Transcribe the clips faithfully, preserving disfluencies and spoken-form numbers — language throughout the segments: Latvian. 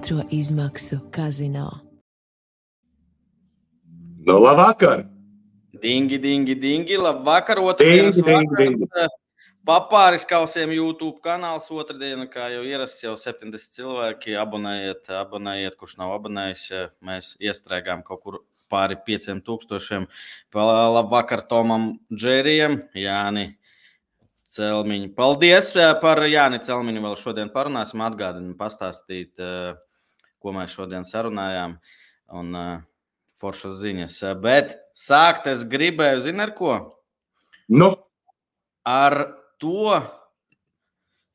otro izmaksu kazino. Nu, labvakar! Dingi, dingi, dingi, labvakar, otrdienas vakars. Papāris kausiem YouTube kanāls otrdiena, kā jau ierasts, jau septiņdesmit cilvēki. Abonējiet, abonējiet, kurš nav abonējis. Mēs iestrēgām kaut kur pāri pieciem tūkstošiem. Labvakar Tomam Džerijam, Jāni Celmiņu. Paldies par Jāni Celmiņu vēl šodien parunāsim. Atgādinu pastāstīt, ko mēs šodien sarunājām. Un foršas ziņas. Bet sākt es gribēju, zini ar ko? Nu? Ar to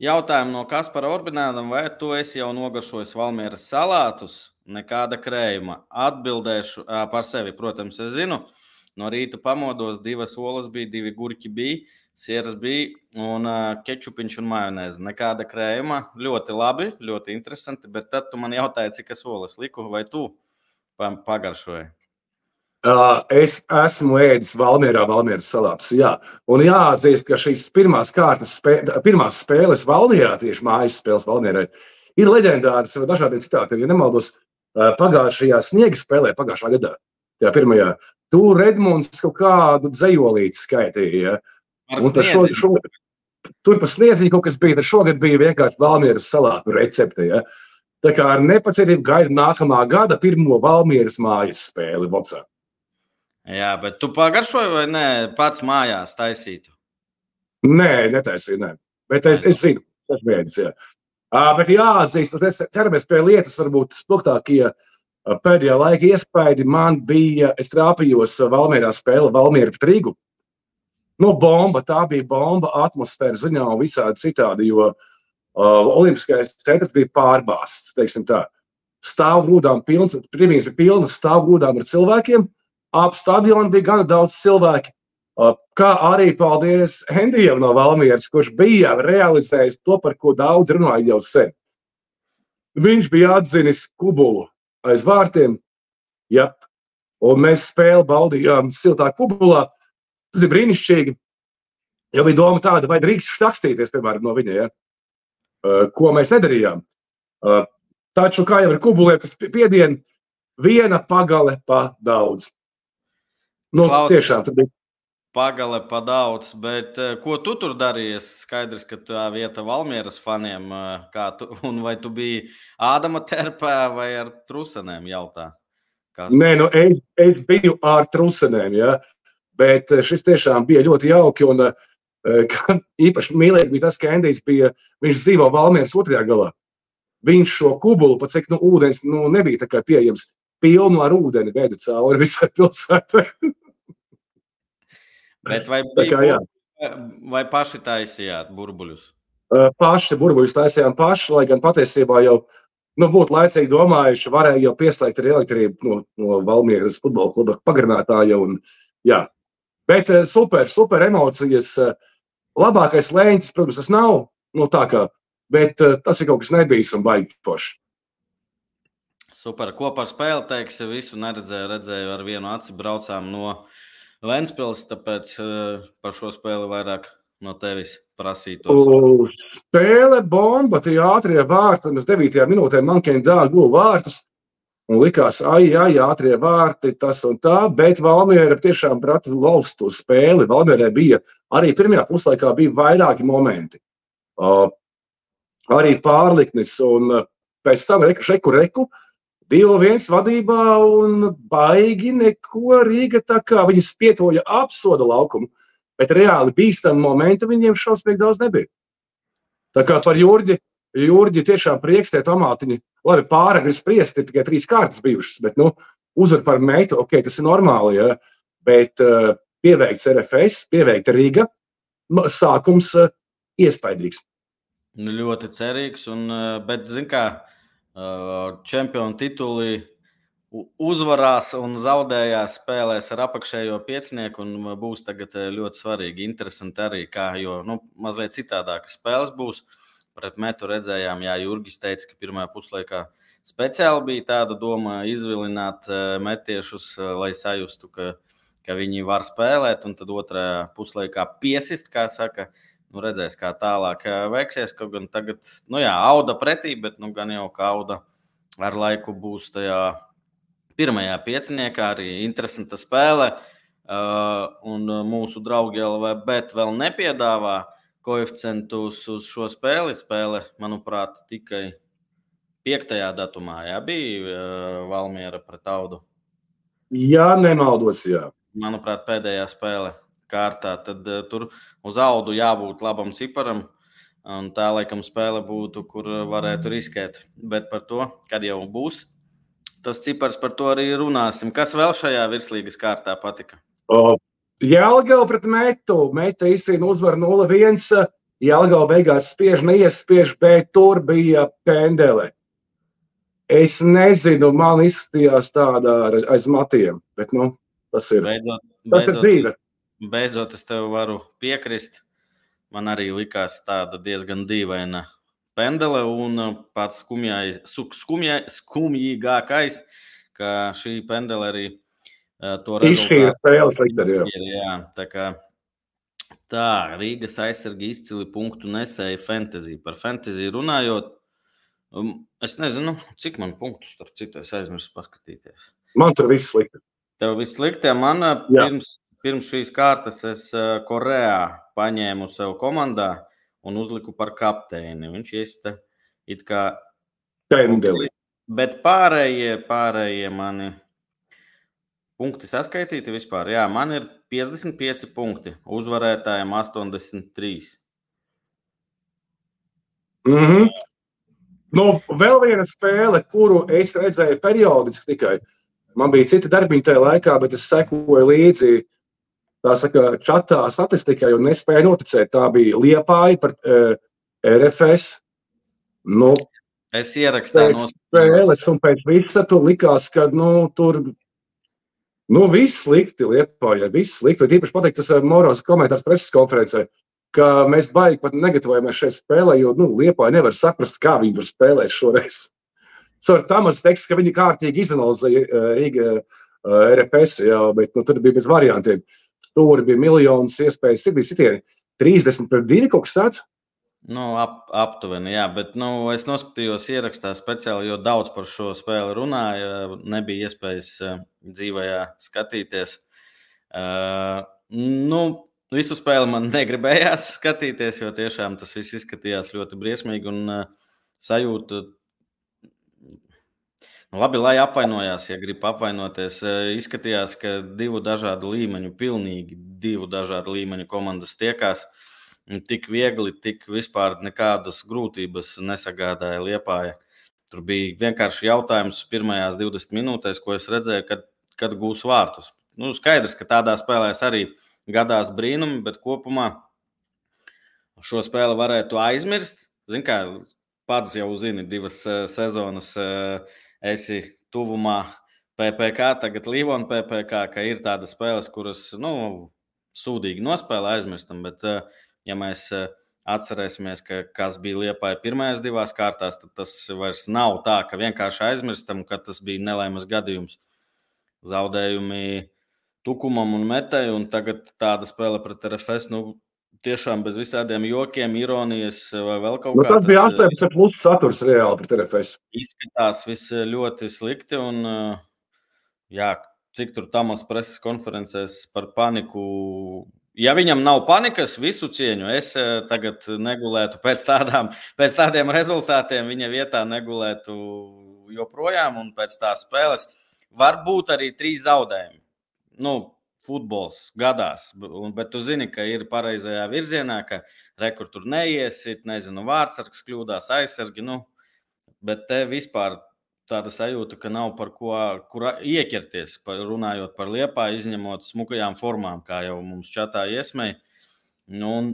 jautājumu no Kaspara Orbinādam, vai tu esi jau nogaršojis Valmieras salātus? Nekāda krējuma. Atbildēšu par sevi, protams, es zinu. No rīta pamodos, divas olas bija, divi gurķi bija, sieras bija un kečupiņš un majonēze. Nekāda krējuma. Ļoti labi, ļoti interesanti, bet tad tu man jautāji, cik es olas liku, vai tu pagaršoji? Uh, es esmu ēdis Valmierā Valmieras salātus, jā. Un jāatzīst, ka šīs pirmās kārtas, spē, pirmās spēles Valmierā, tieši mājas spēles Valmierai, ir leģendāras ar dažādiem citātiem. Ja nemaldos, uh, pagājušajā sniega spēlē, pagājušā gadā, tajā pirmajā, tur Edmunds kaut kādu dzejolīti skaitīja. Ja? Un šo, šo, tur pa sniedziņu kaut kas bija, tad šogad bija vienkārši Valmieras salātu recepte. Ja? Tā kā ar nepacietību gaida nākamā gada pirmo Valmieras mājas spēli Vocā. Jā, bet tu pagaršoji vai ne pats mājās taisītu? Nē, netaisīju, nē. Bet es, es zinu, tas mēdis, jā. Uh, bet jāatzīst, mēs ceramies pie lietas, varbūt spilgtākie uh, pēdējā laika iespaidi man bija, es trāpījos Valmierā spēle Valmiera pret Rīgu. Nu, bomba, tā bija bomba atmosfēra ziņā un visādi citādi, jo uh, olimpiskais centrs bija pārbāsts, teiksim tā. Stāvgrūdām pilns, primīs bija pilnas stāvgrūdām ar cilvēkiem. Ap stadionu bija gana daudz cilvēki, kā arī paldies Hendijam no Valmieras, kurš bija realizējis to, par ko daudz runāja jau sen. Viņš bija atzinis kubulu aiz vārtiem, jep, un mēs spēli baudījām siltā kubulā. Tas ir brīnišķīgi, jo bija doma tāda, vai drīkst štakstīties, piemēram, no viņa, ja? Ko mēs nedarījām. Taču, kā jau ar kubuliem, tas piedien, viena pagale pa daudz. Nu, Klaus, tiešām, tad bija. Pagale pa daudz, bet ko tu tur darījies? Skaidrs, ka tā vieta Valmieras faniem, kā tu, un vai tu biji Ādama terpē vai ar trusenēm jautā? Kas... Nē, nu, es, es biju ar trusenēm, ja, bet šis tiešām bija ļoti jauki, un īpaši mīlīgi bija tas, ka Endijs bija, viņš dzīvo Valmieras otrajā galā. Viņš šo kubulu, pat cik, nu, ūdens, nu, nebija tā kā pieejams, pilnu ar ūdeni veda cauri visai pilsētai. Bet vai, bija, kā, vai paši taisījāt burbuļus? Paši burbuļus taisījām paši, lai gan patiesībā jau nu, būtu laicīgi domājuši, varēja jau pieslēgt arī elektrību no, no Valmieras futbola kluba pagarinātāja. Un, jā. Bet super, super emocijas. Labākais lēņķis, protams, tas nav, nu, tā kā, bet tas ir kaut kas nebijis un baigi forši. Super. Ko par spēli teiksi? Visu neredzēju, redzēju ar vienu aci braucām no Ventspils, tāpēc par šo spēli vairāk no tevis prasītos. O, spēle bomba, tie ātrie vārti, mēs devītajā minūtē Mankēna Dāna guva vārtus un likās, ai, ai, ātrie vārti, tas un tā, bet Valmiera tiešām prata laust uz spēli. Valmierai bija, arī pirmajā puslaikā bija vairāki momenti. Uh, arī pārliknis un pēc tam reku, šeku, reku, divi viens vadībā un baigi neko Rīga tā kā viņi spietoja apsoda laukumu, bet reāli bīstami momenti viņiem šausmīgi daudz nebija. Tā kā par Jurģi, Jurģi tiešām prieks tie tomātiņi, labi pāragri spriest, ir tikai trīs kārtas bijušas, bet nu, uzvar par meitu, ok, tas ir normāli, ja, bet uh, pieveikts R F S, pieveikta Rīga, sākums uh, iespaidīgs. Nu, ļoti cerīgs, un, bet, zin kā, čempionu tituli uzvarās un zaudējās spēlēs ar apakšējo piecinieku un būs tagad ļoti svarīgi, interesanti arī, kā, jo, nu, mazliet citādākas spēles būs. Pret Metu redzējām, jā, Jurgis teica, ka pirmajā puslaikā speciāli bija tāda doma izvilināt metiešus, lai sajustu, ka, ka viņi var spēlēt, un tad otrajā puslaikā piesist, kā saka, nu, redzēs, kā tālāk veiksies, kaut gan tagad, nu jā, auda pretī, bet nu gan jau kā auda ar laiku būs tajā pirmajā pieciniekā arī interesanta spēle. Uh, un mūsu draugi L V Bet vēl nepiedāvā koeficientus uz šo spēli. Spēle, manuprāt, tikai piektajā datumā, jā, bija uh, Valmiera pret Audu. Jā, nemaldos, jā. Manuprāt, pēdējā spēle kārtā. Tad uh, tur uz Audu jābūt labam ciparam. Un tā, laikam, spēle būtu, kur varētu riskēt. Bet par to, kad jau būs tas cipars, par to arī runāsim. Kas vēl šajā virslīgas kārtā patika? O, Jelgava pret Metu. Meta izcīna uzvaru nulle viens. Jelgava beigās spiež, neiespiež, bet tur bija pendele. Es nezinu, man izskatījās tāda aiz matiem, bet, nu, tas ir. Beidzot, tas ir dzīve. Beidzot, es tev varu piekrist. Man arī likās tāda diezgan dīvaina pendele un pats skumjai, skumjai, skumjīgākais, ka šī pendele arī to izšķīra spēles liktari, jā. jā. Tā kā tā, Rīgas aizsargi izcili punktu nesēja fantasy. Par fantasy runājot, es nezinu, cik man punktus starp citu es aizmirsu paskatīties. Man tur viss slikti. Tev viss slikti, man pirms, pirms šīs kārtas es Korejā paņēmu sev komandā un uzliku par kapteini. Viņš iesta it kā pendeli. Bet pārējie, pārējie mani punkti saskaitīti vispār. Jā, man ir piecdesmit pieci punkti, uzvarētājiem astoņdesmit trīs. Mhm. Nu, vēl viena spēle, kuru es redzēju periodiski tikai. Man bija cita darbiņa tajā laikā, bet es sekoju līdzi, tā saka, čatā statistikai un nespēju noticēt. Tā bija Liepāja par uh, R F S. Nu, es ierakstāju no spēles, un pēc visa tur likās, ka, nu, tur, nu, viss slikti Liepāja, viss slikti. Tīpaši pateikt, tas Moros komentārs preses konferencē, ka mēs baigi pat negatavojamies šeit spēlē, jo, nu, Liepāja nevar saprast, kā viņi tur spēlēt šoreiz. Caur Tamas teksts, ka viņi kārtīgi izanalizēja Rīga R F S, jā, bet, nu, tad bija bez variantiem. Stūri bija miljonas iespējas, ir bija sitieni trīsdesmit pret divi kaut kas tāds. Nu, ap, aptuveni, jā, bet, nu, es noskatījos ierakstā speciāli, jo daudz par šo spēli runāja, nebija iespējas dzīvajā skatīties. Uh, nu, visu spēli man negribējās skatīties, jo tiešām tas viss izskatījās ļoti briesmīgi un uh, sajūta. Nu, labi, lai apvainojās, ja grib apvainoties. Uh, izskatījās, ka divu dažādu līmeņu, pilnīgi divu dažādu līmeņu komandas tiekās. Tik viegli, tik vispār nekādas grūtības nesagādāja Liepāja. Tur bija vienkārši jautājums pirmajās divdesmit minūtēs, ko es redzēju, kad, kad gūs vārtus. Nu, skaidrs, ka tādā spēlēs arī gadās brīnumi, bet kopumā šo spēli varētu aizmirst. Zin kā, pats jau zini, divas sezonas esi tuvumā P P K, tagad Līvona P P K, ka ir tādas spēles, kuras, nu, sūdīgi nospēlē aizmirstam, bet ja mēs atcerēsimies, ka kas bija Liepāja pirmajās divās kārtās, tad tas vairs nav tā, ka vienkārši aizmirstam, ka tas bija nelaimes gadījums. Zaudējumi Tukumam un Metai, un tagad tāda spēle pret R F S, nu, tiešām bez visādiem jokiem, ironijas vai vēl kaut kā. Nu, tas bija astoņdesmit plus saturs reāli pret R F S. Izskatās viss ļoti slikti, un jā, cik tur Tamas preses konferencēs par paniku. Ja viņam nav panikas, visu cieņu, es tagad negulētu pēc, tādām, pēc tādiem rezultātiem, viņa vietā negulētu joprojām, un pēc tās spēles var būt arī trīs zaudējumi. Nu, futbols gadās, bet tu zini, ka ir pareizajā virzienā, ka rekur tur neiesit, nezinu, vārdsargs kļūdās, aizsargi, nu, bet te vispār tāda sajūta, ka nav par ko kur ieķerties, par, runājot par Liepāju, izņemot smukajām formām, kā jau mums čatā iesmēja. Nu, un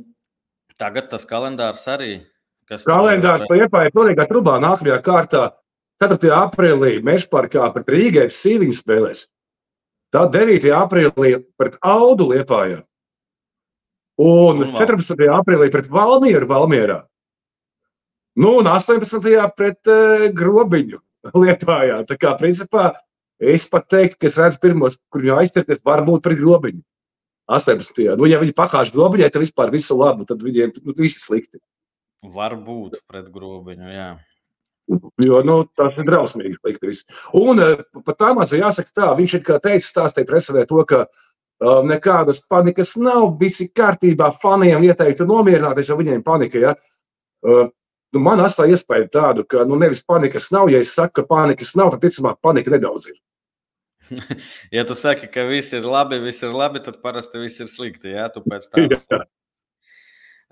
tagad tas kalendārs arī. Kas kalendārs par Liepāju pilnīgā trubā nākamajā kārtā ceturtajā aprīlī Mežparkā pret Rīgai Sīviņu spēlēs. Tad devītajā aprīlī pret Audu Liepājā. Un, un četrpadsmitajā aprīlī pret Valmieru Valmierā. Nu, un astoņpadsmitajā pret uh, Grobiņu Liepājā. Tā kā, principā, es pat teiktu, ka es redzu pirmos, kur viņu aizķerties, varbūt pret Grobiņu. astoņpadsmitajā Nu, ja viņi pakāž Grobiņai, tad vispār visu labu, tad viņiem nu, visi slikti. Varbūt pret Grobiņu, jā. Jo, nu, tas ir drausmīgi likt. Un pat tā mācā jāsaka tā, viņš ir kā teicis, stāstīja presedē to, ka uh, nekādas panikas nav, visi kārtībā, faniem ieteiktu nomierināties, jo viņiem panika, ja. Uh, nu, man atstāja iespēju tādu, ka nu, nevis panikas nav, ja es saku, ka panikas nav, tad ticamāk panika nedaudz ir. Ja tu saki, ka viss ir labi, viss ir labi, tad parasti viss ir slikti, jā, tu pēc tādas.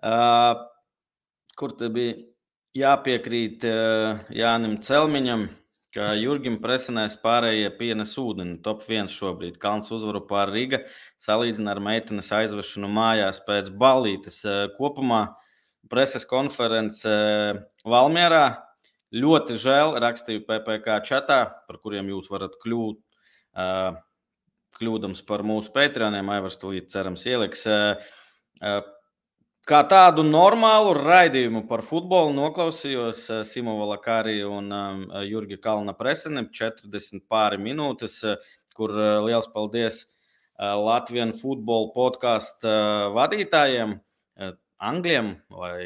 uh, kur te bija jāpiekrīt uh, Jānim Celmiņam, ka Jurgim Presenēs pārējie pienes ūdeni, top viens šobrīd. Kalns uzvaru pār Riga, salīdzina ar meitenes aizvešanu mājās pēc ballītes. Uh, kopumā preses konference uh, Valmierā. Ļoti žēl, rakstīju P P K čatā, par kuriem jūs varat kļūt, uh, kļūdams par mūsu Patreoniem, Aivars tūlīt cerams ieliks. Uh, uh, Kā tādu normālu raidījumu par futbolu noklausījos Simo Valakārī un Jurga Kalna Preseni četrdesmit pāri minūtes, kur liels paldies Latvian Football podcastu vadītājiem, angļiem vai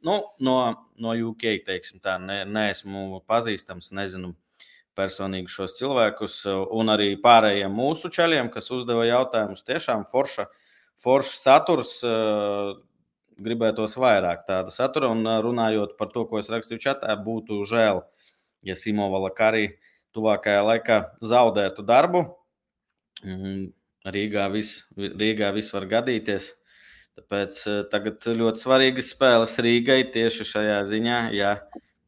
nu, no, no U K, teiksim tā, ne, neesmu pazīstams, nezinu personīgi šos cilvēkus, un arī pārējiem mūsu čaļiem, kas uzdeva jautājumus. Tiešām forša, forša saturs, gribētos vairāk tāda satura, un runājot par to, ko es rakstīju čatā, būtu žēl, ja Simo Valakārī tuvākajā laikā zaudētu darbu. Rīgā viss, Rīgā viss var gadīties, tāpēc tagad ļoti svarīgas spēles Rīgai tieši šajā ziņā, ja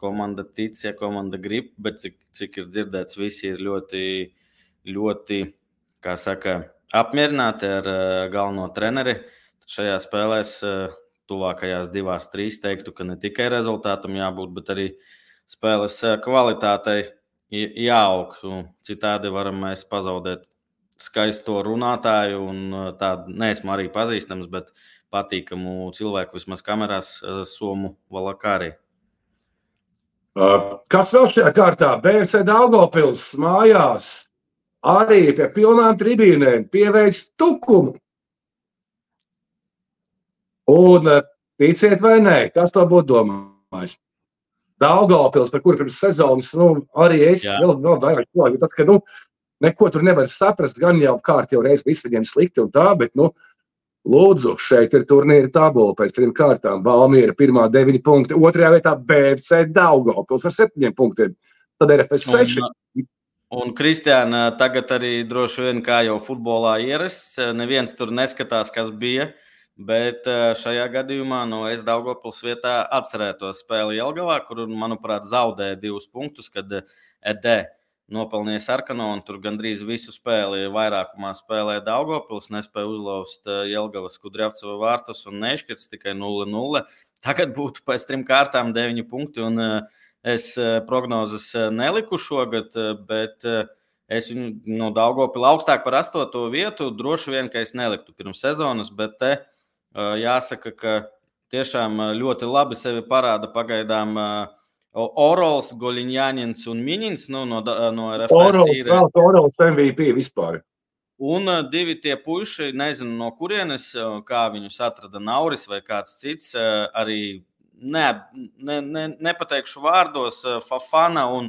komanda tic, ja komanda grib, bet cik, cik ir dzirdēts, visi ir ļoti, ļoti, kā saka, apmierināti ar galveno treneri. Tad šajā spēlēs tuvākajās divās, trīs teiktu, ka ne tikai rezultātam jābūt, bet arī spēles kvalitātei jāaug. Citādi varam mēs pazaudēt skaisto runātāju un tādu, neesmu arī pazīstams, bet patīkamu cilvēku vismaz kamerās, Somu Valakārī. Kas vēl šajā kārtā? B F C Daugavpils mājās arī pie pilnām tribīnēm pieveic tukumu. Un ticiet vai nē, kas to būtu domājis? Daugavpils, par kuru pirms sezonas, nu, arī es Jā. vēl, vēl vairāk klāju. Tad, ka, nu, neko tur nevar saprast, gan jau kārt jau reiz viss viņiem slikti un tā, bet, nu, lūdzu, šeit ir turnīra tabula pēc trim kārtām. Valmiera pirmā deviņi punkti, otrajā vietā B F C Daugavpils ar septiņiem punktiem. Tad R F S seši. Un, un Kristiāna, tagad arī droši vien kā jau futbolā ierasts, neviens tur neskatās, kas bija. Bet šajā gadījumā no es Daugavpils vietā atcerētos spēli Jelgavā, kur, manuprāt, zaudēja divus punktus, kad E D nopelnīja sarkano un tur gandrīz visu spēli vairākumā spēlēja Daugavpils, nespēja uzlauzt Jelgavas Kudriavceva vārtus un nešķirts tikai nulle nulle. Tagad būtu pēc trim kārtām deviņi punkti un es prognozes neliku šogad, bet es viņu no Daugavpila augstāk par astoto vietu droši vien, ka es neliktu pirms sezonas, bet te jāsaka, ka tiešām ļoti labi sevi parāda pagaidām Orols, Goļiņāņins un Miņins nu, no, no R F S. Orols, ir... vēl, Orols M V P vispār. Un divi tie puiši, nezinu no kurienes, kā viņus atrada Nauris vai kāds cits, arī ne, ne, ne, nepateikšu vārdos, Fafana un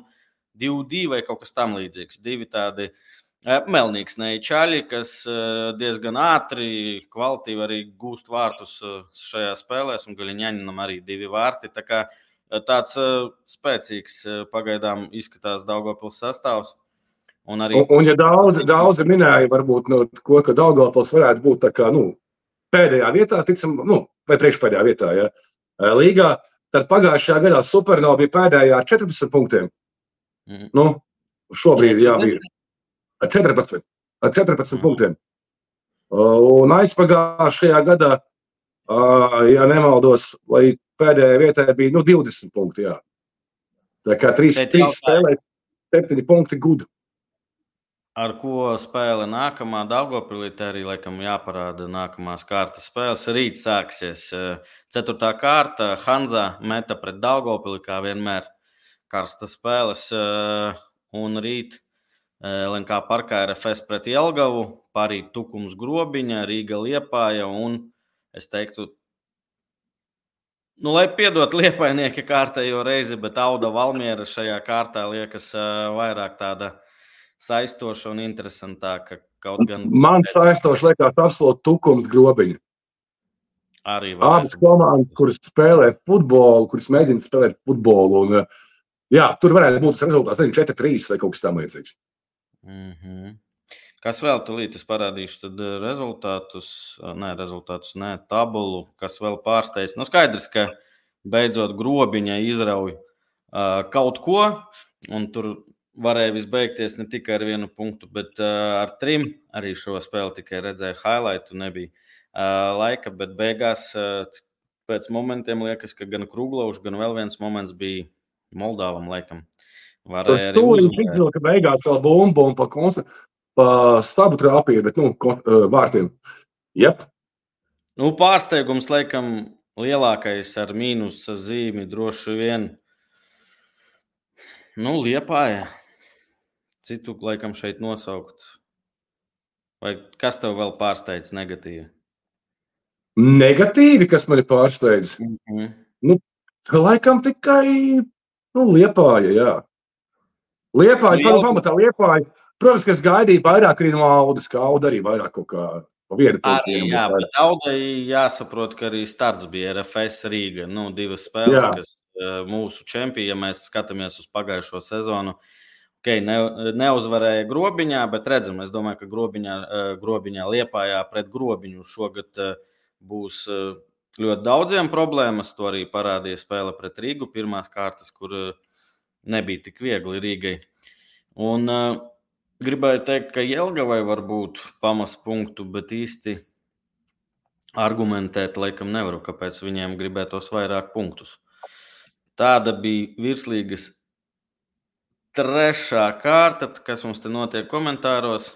Divdī vai kaut kas tam līdzīgs. Divi tādi melnīgs neičaļi, kas diezgan ātri, kvalitīvi arī gūst vārtus šajā spēlēs, un Gaļiņaņinam arī divi vārti. Tā kā tāds spēcīgs pagaidām izskatās Daugavpils sastāvs. Un, arī... un, un ja daudzi, daudzi minēja, varbūt, nu, ko, ka Daugavpils varētu būt tā kā, nu, pēdējā vietā, ticam, nu, vai priekšpēdējā vietā, ja, līgā, tad pagājušajā gadā Supernova bija pēdējā ar četrpadsmit punktiem. Mm. Nu, šobrīd, jā, bija. Ar četrpadsmit, ar četrpadsmit mm. punktiem. Un aizpagājušajā gadā, ja nemaldos, lai pēdējā vietā bija nu, divdesmit punkti. Jā. Tā kā trīs, trīs spēlēt, septiņi punkti gudu. Ar ko spēle nākamā Daugavpilī, arī laikam jāparāda nākamās kārtas spēles. Rīt sāksies ceturtā kārta. Hanza meta pret Daugavpili, kā vienmēr karsta spēles. Un rīt L N K parkā R F S pret Jelgavu, parīt Tukums Grobiņa, Rīga Liepāja un, es teiktu, Nu, lai piedot Liepainieki kārtējo reizi, bet Auda Valmiera šajā kārtā liekas uh, vairāk tāda saistoša un interesantāka. Kaut gan Man pēc... saistoši liekas absolūti tukums Grobiņa. Arī abas komandas, kuras spēlē futbolu, kuras mēģina spēlēt futbolu. Un, jā, tur varētu būt tas rezultāts četri trīs vai kaut kas tam līdzīgs. Mm-hmm. Kas vēl tulīt es parādīšu, tad rezultātus, nē, rezultātus, nē, tabulu, kas vēl pārsteidz. Nu, skaidrs, ka beidzot Grobiņa izrauj uh, kaut ko, un tur varēja visbeigties ne tikai ar vienu punktu, bet uh, ar trim arī šo spēli tikai redzēja highlightu, nebija uh, laika, bet beigās uh, pēc momentiem liekas, ka gan Kruglovs, gan vēl viens moments bija Moldāvam laikam. Varēja arī uzvarēt. Ka beigās vēl bumbu un pa koncertu. Pa stabu trāpīja, bet, nu, vārtiem. Jep. Nu, pārsteigums, laikam, lielākais ar mīnusa zīmi droši vien. Nu, Liepāja. Citu, laikam, šeit nosaukt. Vai kas tev vēl pārsteidz negatīvi? Negatīvi, kas mani pārsteidz? Mm-hmm. Nu, laikam tikai, nu, Liepāja, jā. Liepāja, Liel... pamatā Liepāja. Protams, ka es gaidīju vairāk arī no Audas, ka Auda arī vairāk kaut kā pa vienu punktu. Arī, jā, bet Audai jāsaprot, ka arī starts bija R F S Rīga. Nu, divas spēles, jā. Kas uh, mūsu čempioni, ja mēs skatāmies uz pagājušo sezonu, okay, ne, neuzvarēja Grobiņā, bet redzam, es domāju, ka Grobiņā, uh, Grobiņā Liepājā pret Grobiņu šogad uh, būs uh, ļoti daudziem problēmas. To arī parādīja spēle pret Rīgu, pirmās kārtas, kur uh, nebija tik viegli Rīgai. Un uh, gribēju teikt, ka Jelgavai var būt pamas punktu, bet īsti argumentēt laikam nevaru, kāpēc viņiem gribētos vairāk punktus. Tāda bija virslīgas trešā kārta, kas mums te notiek komentāros.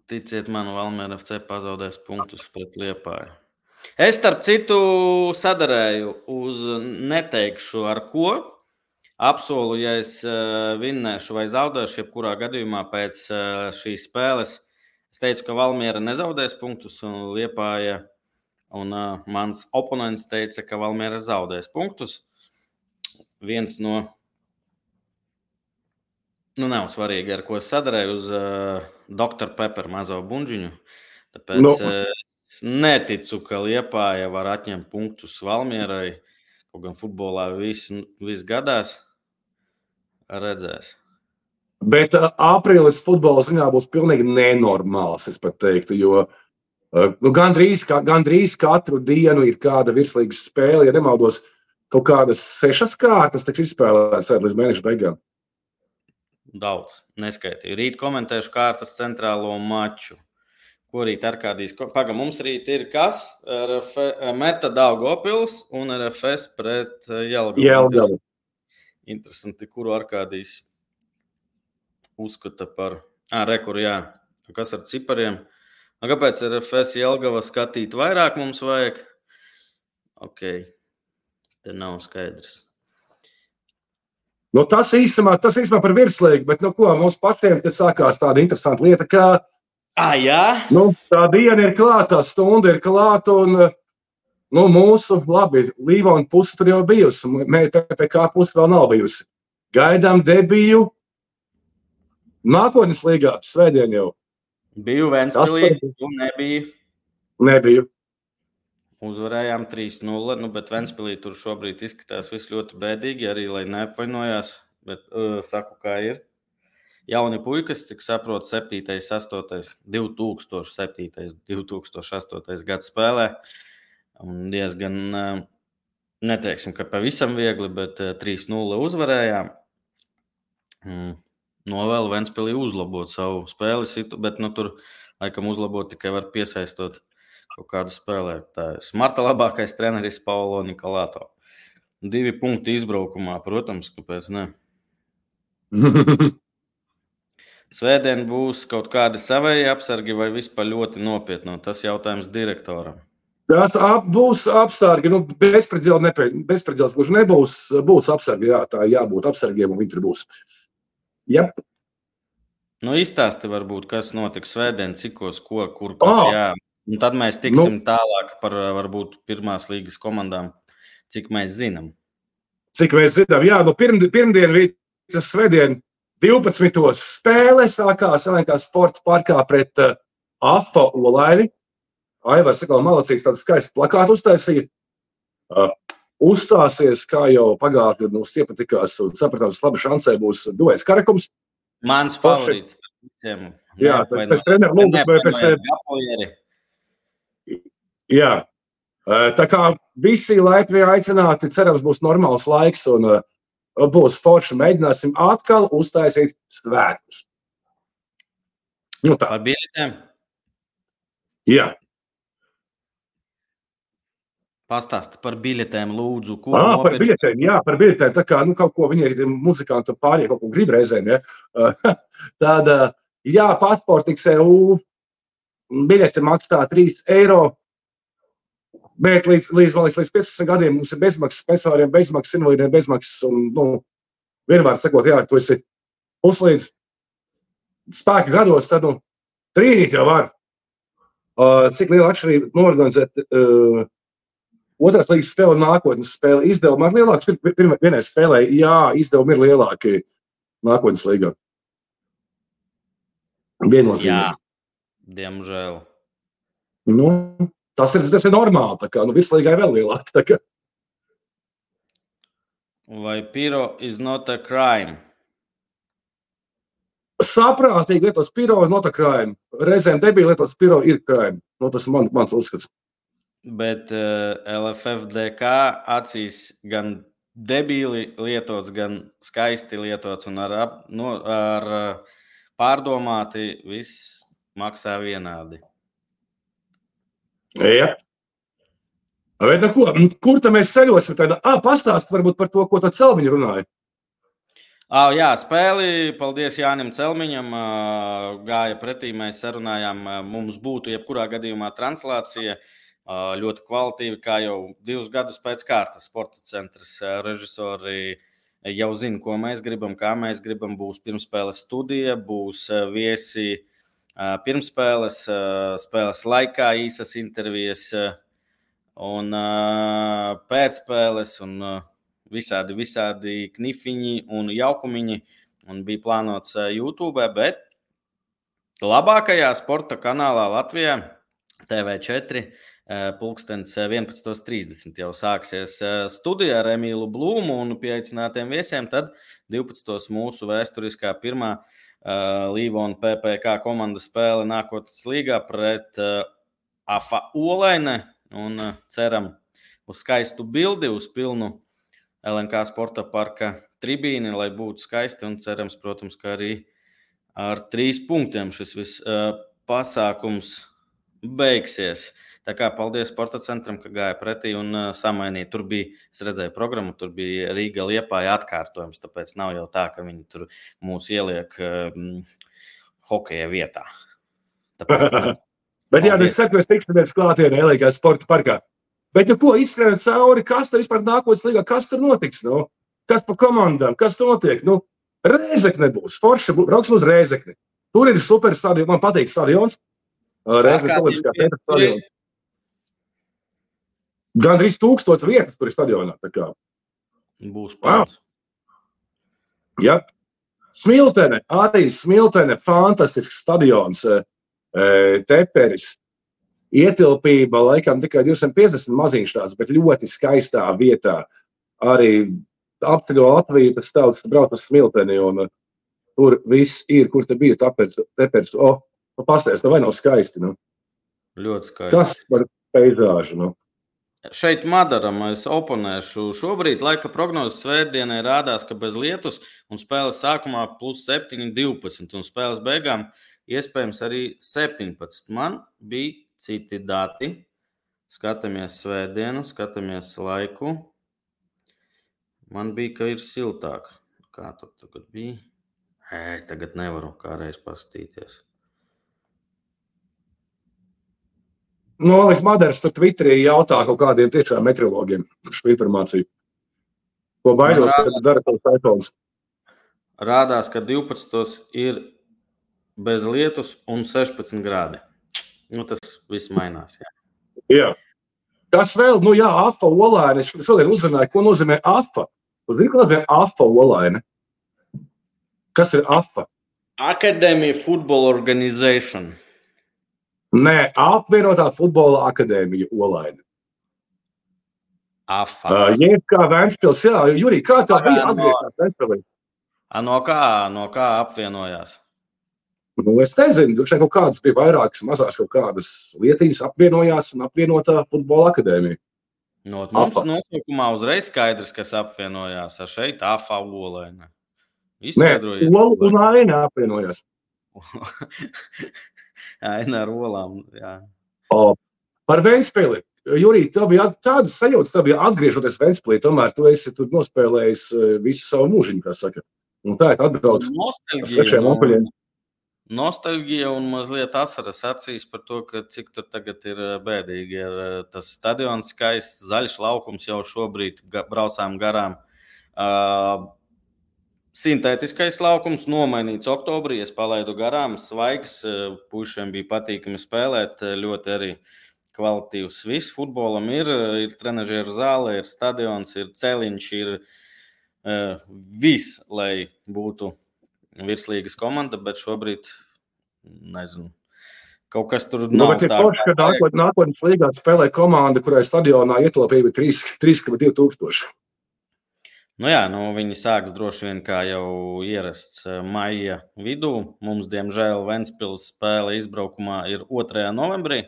Ticiet man, Valmiera F C pazaudēs punktus pret Liepāju. Es, starp citu, sadarēju uz neteikšu ar ko. Apsolu, ja es vinnēšu vai zaudēšu, jebkurā gadījumā pēc šīs spēles. Es teicu, ka Valmiera nezaudēs punktus un Liepāja, un uh, mans oponents teica, ka Valmiera zaudēs punktus. Viens no, nu nav svarīgi, ar ko es sadarēju uz uh, doktor Pepper mazo bunžiņu. Tāpēc... No. Uh, Es neticu, ka Liepāja var atņemt punktus Valmierai, kaut gan futbolā viss, viss gadās, redzēs. Bet uh, aprīlis futbola ziņā būs pilnīgi nenormāls, es pat teiktu, jo uh, nu, gandrīz, kā, gandrīz katru dienu ir kāda virslīgas spēle, ja nemaldos, kaut kādas sešas kārtas tiks izspēlētas līdz mēneša beigām. Daudz, neskaitīju. Rīt komentēšu kārtas centrālo maču. Ko rīt Arkādijs? Paga, mums rīt ir kas? R F, Meta Daugavpils un R F S pret Jelgavu. Jelgavu. Interesanti, kuru Arkādijs uzskata par... Ā, rekur, jā. Kas ar cipariem? Kāpēc R F S Jelgava skatīt vairāk mums vajag? Ok, te nav skaidrs. Nu, tas īsumā, tas īsumā par virslīgu, bet nu ko, mums pašiem te sākās tāda interesanta lieta, ka Ah, jā? Nu, tā diena ir klāta, tā stunda ir klāta, un nu, mūsu, labi, Līvona puse tur jau bijusi, P P K puse vēl nav bijusi. Gaidām debiju nākotnes līgā, svētdien jau. Biju Ventspilī, un nebija. Nebiju. Uzvarējām trīs nulle, nu, bet Ventspilī tur šobrīd izskatās viss ļoti bēdīgi, arī, lai neapvainojās, bet uh, saku, kā ir. Jauni puikas, cik saprotu, septītais, astotais, divi tūkstoši septītais, divi tūkstoši astotais gads spēlē. Un diezgan, neteiksim, ka pavisam viegli, bet trīs nulle uzvarējām. Novēlu Ventspilī uzlabot savu spēli, bet nu, tur laikam uzlabot tikai var piesaistot kaut kādu spēlētāju. Marta labākais treneris Paulo Nikolāto. Divi punkti izbraukumā, protams, kāpēc ne? Svētdien būs kaut kādi savēji apsargi vai vispār ļoti nopietno? Tas jautājums direktoram. Tas ap, būs apsargi, nu bezpredēls gluži nebūs, būs apsargi, jā, tā jābūt apsargiem un viņi tur būs. Jep. Nu, izstāsti varbūt, kas notiks svētdien, cikos, ko, kur, kas Oh, jā. Un tad mēs tiksim nu, tālāk par varbūt pirmās līgas komandām, cik mēs zinām. Cik mēs zinām, jā, nu pirmdien, pirmdien rītas svētdien divpadsmitos spēle sākās Elenkās sporta parkā pret uh, Afa Olaini. Aivars atkal malacīgs tādu skaistu plakātu uztaisīja. Uh, uzstāsies, kā jau pagātni mums iepatikās un sapratām, ka labi šansē būs Duvējs Karakums. Mans favorīts. Visiem. Jā, ne, pēc treneru lūgas, vai pēc... Jā, tā kā visi laipni aicināti, cerams, būs normāls laiks un uh, būs forši. Mēģināsim atkal uztaisīt svētkus. Nu tā. Par biļetēm? Jā. Pastāsti par biļetēm, lūdzu. Ko ah, nopirkt? Par biļetēm, jā, par biļetēm. Tā kā, nu, kaut ko viņi ir muzikanti pārējie, kaut ko grib reizēm, ja. Tāda, jā, Pasports X E U biļete maksā trīs eiro, bet līdz, līdz, līdz, līdz piecpadsmit gadiem mums ir bezmaksas, sponsoriem bezmaksas, invalīdiem bezmaksas, un, nu, vienmēr sakot, jā, tu esi puslīdz spēka gados, tad, nu, trīnīt jau var. Uh, cik liela atšķirība norganizēt uh, otrās līgas spēle un nākotnes spēle izdevumi ir lielāks. Pirmā vienai spēlē, jā, izdevumi ir lielāki nākotnes līgā. Viennozīmīgi. Jā, diemžēl. Nu, tas ir, tas ir normāli, tā kā, nu, visu līgai vēl lielāki, tā kā. Vai piro is not a crime? Saprātīgi lietos piro ir not a crime. Reizēm debīli lietos piro ir crime. Nu, tas ir man, mans uzskats. Bet uh, L F F D K acīs gan debīli lietots, gan skaisti lietots un ar, no, ar pārdomāti viss maksā vienādi. Jā. Bet, nu, ko, kur tad mēs ceļosim? Tāda, ā, pastāst varbūt par to, ko to Celmiņu runāja. Oh, jā, spēli, paldies Jānim Celmiņam, gāja pretī, mēs sarunājām, mums būtu jebkurā gadījumā translācija. Ļoti kvalitīvi, kā jau divus gadus pēc kārtas sporta centrs režisori jau zina, ko mēs gribam, kā mēs gribam. Būs pirmspēles studija, būs viesi pirmspēles, spēles laikā īsas intervijas un pēcspēles un visādi, visādi knifiņi un jaukumiņi. Un bija plānots YouTube, bet labākajā sporta kanālā Latvijā T V četri pulkstens vienpadsmit trīsdesmit jau sāksies studija ar Emīlu Blūmu un pieaicinātiem viesiem, tad divpadsmit mūsu vēsturiskā pirmā uh, Līvona P P K komandas spēle nākotnes līgā pret uh, Afa Olaini un uh, ceram uz skaistu bildi, uz pilnu L N K sporta parka tribīni, lai būtu skaisti un cerams, protams, ka arī ar trīs punktiem šis viss uh, pasākums beigsies. Tā kā paldies sporta centram, ka gāja pretī un uh, samainīja. Tur bija, es redzēju programmu, tur bija Rīga Liepāja atkārtojums, tāpēc nav jau tā, ka viņi tur mūs ieliek uh, hokeja vietā. Tāpēc, bet jā, es saku, mēs tiksimies klātienē L N K sporta parkā. Bet, nu ko, izstrādāt cauri, kas tur vispār nākotnes līgā, kas tur notiks, nu? Kas pa komandām, kas tur notiek? Nu, Rēzekne būs, forša, brauksim uz Rēzekni. Tur ir super stadions, man patīk stadions. Rēzeknes Olimpiskā teātra stadions. Gan drīz tūkstots vietas, kur ir stadionā. Tā kā. Būs pēc. Jā. Smiltene, arī Smiltene, fantastisks stadions, Teperis. Ietilpība, laikam, tikai divsimt piecdesmit maziņš tāds, bet ļoti skaistā vietā. Arī apceļo Latviju, tas tautas brauc uz Smilteni, un tur viss ir, kur te bija tāpēc, Teperis. O, nu pasties, nu vai nav skaisti, nu? Ļoti skaisti. Kas par peizāžu, nu? Šeit Madaram es oponēšu. Šobrīd laika prognozes svētdienai rādās, ka bez lietus un spēles sākumā plus septiņi, divpadsmit un spēles beigām iespējams arī septiņpadsmit. Man bija citi dati. Skatāmies svētdienu, skatāmies laiku. Man bija, ka ir siltāk. Kā tur tagad bija? Ē, tagad nevaru kāreiz paskatīties. Nu, Alis Madars tur Twitterī jautā kaut kādiem tiešām meteorologiem šo informāciju. Ko baidos, kad dara tavs iPhones? Rādās, ka divpadsmit ir bez lietus un sešpadsmit grādi. Nu, tas viss mainās, jā. Jā. Kas vēl? Nu jā, afa olaine. Es šodien uzzināju, ko nozīmē afa. Uz zini, ko nozīmē afa olaine? Kas ir afa? Academy Football Organization. Nē, apvienotā futbola akadēmija olaine. Afa. Uh, Jeb kā Ventspils, jā, Jurij, kā tev bija no- atgrieztās Ventspilī? A, no kā, no kā apvienojās? Nu, es nezinu, tur šeit kaut kādas bija vairākas mazās kaut kādas lietiņas apvienojās un apvienotā futbola akadēmija. No, mums Afa. nosaukumā uzreiz skaidrs, kas apvienojās. Ar šeit afa olaine. Nē, Izskaidrojiet. Ola un Aina apvienojās. Aina ar olām, jā. O, par Ventspili. Jurij, tev bija tādas sajūtas, tev bija atgriežoties Ventspilī, tomēr tu esi tur nospēlējis eh, visu savu mūžiņu, kā saka. Un tā ir atbrauc ar Nostalģija, sešiem nu, apaļiem. nostalģija un mazliet asaras acīs par to, ka cik tur tagad ir eh, bēdīgi. Ir eh, tas stadions skaists, zaļš laukums jau šobrīd ga, braucām garām. Uh, Sintētiskais laukums nomainīts oktobrī, es palaidu garām, svaigs, eh, pušiem bija patīkami spēlēt, eh, ļoti arī kvalitīvs. Viss futbolam ir, ir trenažieru zāle, ir stadions, ir celiņš, ir uh, viss, lai būtu virslīgas komanda, bet šobrīd, nezinu, kaut kas tur Nu, nav bet ir tā. forši, ka nākot, nākotnes līgā spēlē komanda, kurai stadionā ietilpība ir trīs komats divi tūkstoši. Nu jā, nu viņi sāks droši vien kā jau ierasts eh, maija vidū. Mums, diemžēl, Ventspils spēle izbraukumā ir otrajā novembrī.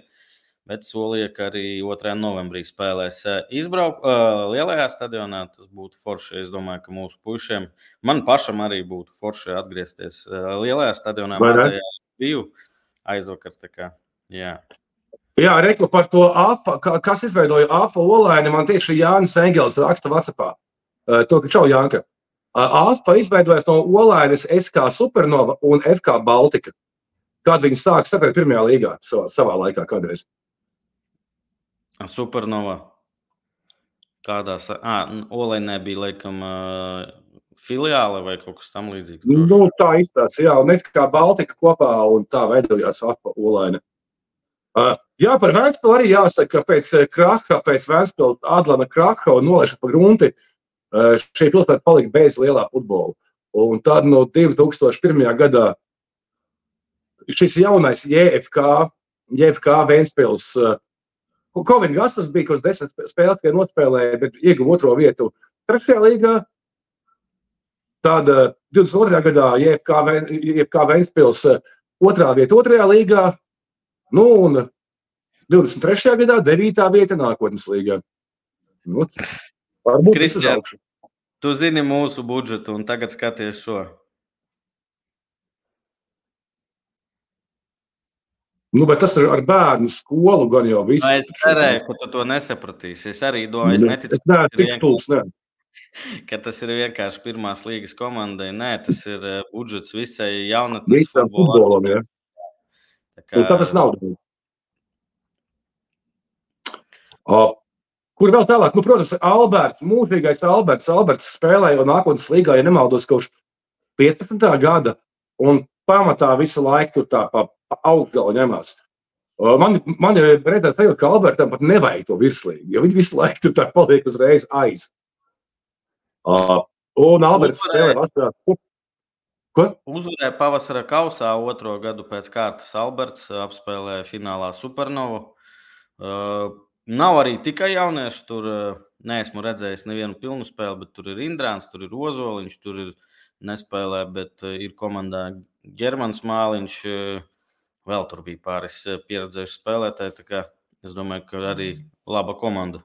Bet solīja, ka arī otrajā novembrī spēlēs izbrauk, uh, lielajā stadionā. Tas būtu forši. Es domāju, ka mūsu puišiem, man pašam arī būtu forši atgriezties uh, lielajā stadionā. Vai ne? Mazajā biju aizvakar. Tā kā, jā. Jā, reku par to afa, ka- kas izveidoja afa olaini, man tieši Jānis Engels raksta WhatsAppā. Uh, To, ka čau, Jānka. Uh, Afa izveidojas no olainas S K Supernova un F K Baltika. Kad viņi sāk spēlēt pirmajā līgā savā, savā laikā kādreiz. Supernova. Kādā sa... À, Olainē bija, laikam, uh, filiāle vai kaut kas tam līdzīgs. droši. Nu, tā izstāsta, jā, un F K Baltika kopā, un tā veidojās afa olaina. Uh, jā, par Ventspilu arī jāsaka, ka pēc eh, kraha, pēc Ventspils Adlana kraha un nolaišas pa grunti, uh, šī pilsēta palika bez lielā futbola. Un tad no divi tūkstoši pirmajā gadā šis jaunais J F K, J F K Ventspils, uh, Kovin Gastas bija, kas desmit spēles tikai nospēlēja, bet ieguva otro vietu trešajā līgā. Tad uh, divdesmit otrajā gadā J F K, Ven- J F K Ventspils uh, otrā vieta otrajā līgā. Nu, un divdesmit trešajā gadā devītā vieta nākotnes līgā. Nu, varbūt tas uz Kristian. augšu. Tu zini mūsu budžetu un tagad skaties šo. Nu, bet tas ir ar bērnu skolu gan jau viss. Nu, es cerēju, ka tu to nesapratīsi. Es arī domāju, es neticu, Es neesmu ka tas ir tik stulbs, ne. ka tas ir vienkārši pirmās līgas komandai. Nē, tas ir eh, budžets visai jaunatnes Visam futbolam, ja. Tā kā- Un tā tas nav. O, kur vēl tālāk? Nu, protams, Alberts, mūžīgais Alberts. Alberts spēlēja nākotnes līgā, ja nemaldos, kaut piecpadsmitā gada. Un pamatā visu laiku tur tā pa, pa augstgalu ņemās. O, Man, man jau redzēt sajūt, ka Albertam pat nevajag to virslīgu, jo viņi visu laiku tur tā paliek uzreiz aiz. O, Un Alberts Uzvarēja. spēlē vasarā. Ko? Uzvarēja pavasara kausā otro gadu pēc kārtas Alberts, apspēlēja finālā Supernovu. Uh, nav arī tikai jaunieši, tur uh, neesmu redzējis nevienu pilnu spēli, bet tur ir Indrāns, tur ir Ozoliņš, tur ir nespēlē, bet uh, ir komandā Germans Māliņš, uh, vēl tur bija pāris uh, pieredzējuši spēlētāji, tā kā es domāju, ka arī laba komanda.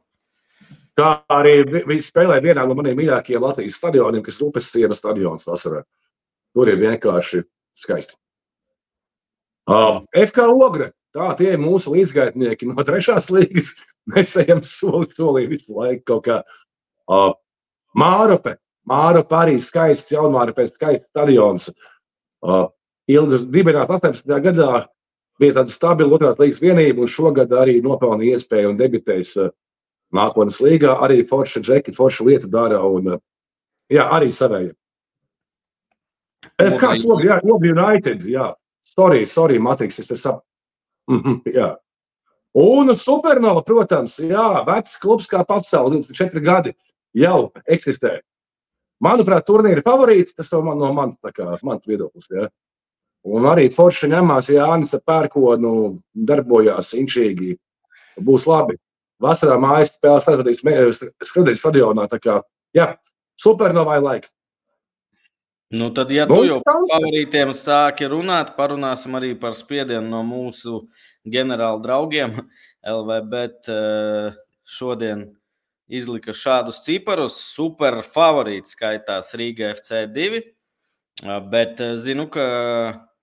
Kā arī vi- viņi spēlē vienā no maniem mīļākajiem Latvijas stadioniem, kas ir Upes siena stadions vasarā. Tur ir vienkārši skaisti. Uh, F K Ogre, tā tie ir mūsu līdzgaitnieki no trešās līgas. Mēs ejam soli solī visu laiku kaut kā. Uh, Mārupe, Mārupe arī skaists, Jaunmārupe skaists stadions. Uh, Ilgas dibināt astoņpadsmitajā gadā bija tāda stabila otrās līgas vienība, un šogad arī nopelnīja iespēju un debitēs uh, nākotnes līgā. Arī forša džeki, forša lieta dara, un uh, jā, arī savēja. Kāds Ogre, jā, Ogre United, jā. sorry, sorry, Matrix, es te sap... Mm-hmm, jā. Un Supernova, protams, jā, vecs klubs kā pasauli, divdesmit četri gadi jau eksistē. Manuprāt, turnīra favorīts, tas man, no mans, tā kā, mans viedoklis, jā. Un arī forši ņemās Jānis ar Pērkonu, darbojās inčīgi, būs labi. Vasarā mājas spēles skatīt, skatīt stadionā, tā kā, jā, Supernovai laika. Nu, tad, ja tu jau par favorītiem sāki runāt, parunāsim arī par spiedienu no mūsu ģenerāla draugiem. L V Bet šodien izlika šādus ciparus. Super favorīti skaitās Rīga F C divi, bet zinu, ka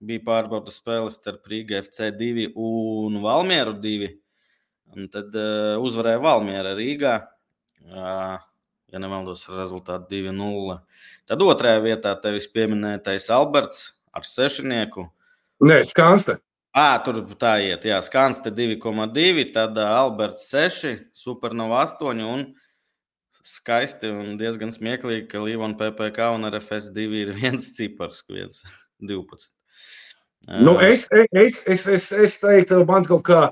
bija pārbaudas spēles starp Rīga F C divi un Valmieru divi. Un tad uzvarēja Valmiera Rīgā. Ja nemaldos ar rezultātu divi nulle. Tad otrajā vietā tevis pieminētais Alberts ar sešinieku. Nē, Skanste. Ā, tur tā iet, jā, Skanste divi koma divi, tad Alberts seši, Supernova astoņi un skaisti un diezgan smieklīgi, ka Līvon P P K un R F S divi ir viens cipars, viens divpadsmit. Nu, es, es, es, es, es teiktu, man kaut kā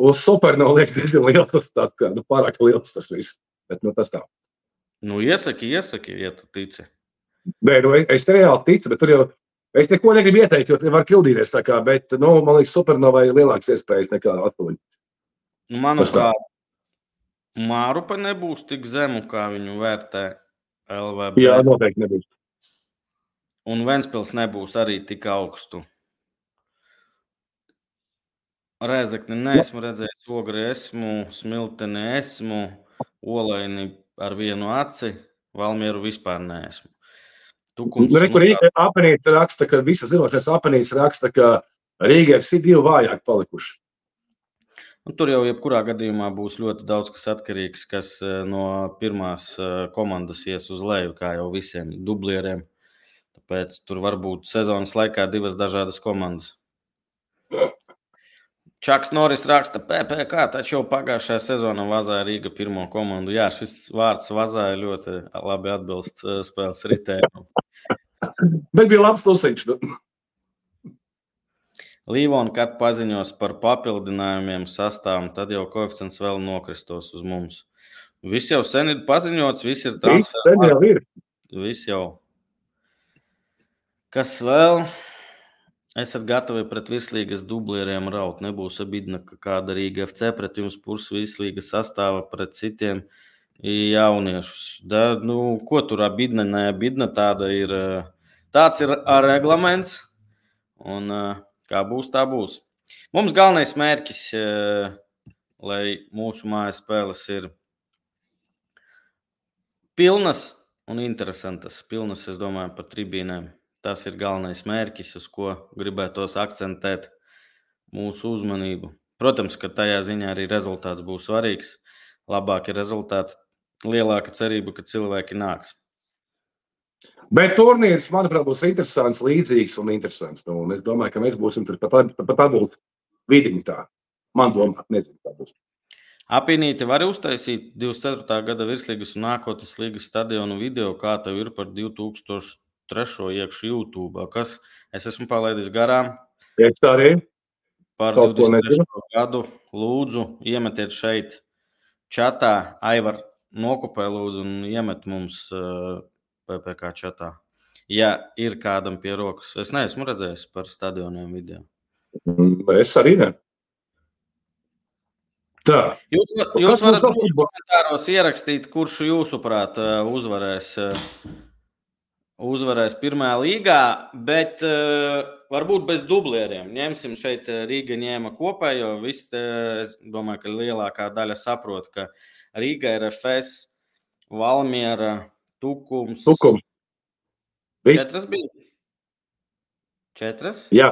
uz Supernova liekas diezgan liels, tāds kā, nu, pārāk liels tas viss, bet, nu, tas tā. Nu, iesaki, iesaki, ja tu tici. Nē, nu, es, es te reāli ticu, bet tur jau, es neko negribu ieteikt, jo var kļūdīties tā kā, bet, nu, man liekas, Supernovai ir lielāks iespējas nekā astoņi. Nu, manuprāt, Mārupa nebūs tik zemu, kā viņu vērtē L V B. Jā, noteikti nebūs. Un Ventspils nebūs arī tik augstu. Rēzekni neesmu redzējis, Ogri esmu, Smilteni esmu, Olaini ar vienu aci, Valmieru vispār neesmu. Tukums, nu, rekur, Apenīts raksta, ka visas zinošais Apenīts raksta, ka Rīga F C divi vājāk palikuši. Nu, tur jau jebkurā gadījumā būs ļoti daudz kas atkarīgs, kas no pirmās komandas ies uz leju, kā jau visiem dublieriem. Tāpēc tur var būt sezonas laikā divas dažādas komandas. Čaks Noris raksta, P P K, taču jau pagājušajā sezonā vazāja Rīga pirmo komandu. Jā, šis vārds vazāja ļoti labi atbilst spēles ritējumu. Bet bija labs tusiņš. Līvon, kad paziņos par papildinājumiem sastāvam, tad jau koeficients vēl nokristos uz mums. Viss jau sen ir paziņots, viss ir transfer. Viss jau ir. Viss jau. Kas vēl? Esat gatavi pret virslīgas dublieriem raut. Nebūs abidna, ka kāda Rīga F C pret jums purs virslīgas sastāva pret citiem jauniešus. Da, nu, ko tur abidna, ne abidna, tāda ir, tāds ir reglaments. Un kā būs, tā būs. Mums galvenais mērķis, lai mūsu mājas spēles ir pilnas un interesantas. Pilnas, es domāju, par tribīnēm. Tas ir galvenais mērķis, uz ko gribētos akcentēt mūsu uzmanību. Protams, ka tajā ziņā arī rezultāts būs svarīgs. Labāki rezultāti, lielāka cerība, ka cilvēki nāks. Bet turnīrs, manuprāt, būs interesants, līdzīgs un interesants. Nu, un es domāju, ka mēs būsim tur pat, pat atbūt vidiņi tā. Man domā, nezinu, tā būs. Apinīti var uztaisīt divdesmit ceturtā gada virslīgas un nākotnes līgas stadionu video, kā tev ir par divi tūkstoši trešo iekšu YouTube. Kas? Es esmu palaidis garām. Es arī. Par divdesmit trešo gadu lūdzu iemetiet šeit čatā. Aivar nokopē lūdzu un iemet mums uh, P P K čatā. Ja ir kādam pie rokas. Es neesmu redzējis par stadioniem video. Es arī ne. Tā. Jūs, jūs varat komentāros ierakstīt, kurš jūsuprāt uzvarēs uzvarēs pirmajā līgā, bet uh, varbūt bez dublieriem. Ņemsim šeit Rīga ņēma kopā, jo viss, te, es domāju, ka lielākā daļa saprot, ka Rīga ir F S, Valmiera, Tukums. Tukums. Viss. Četras bija? Četras? Jā.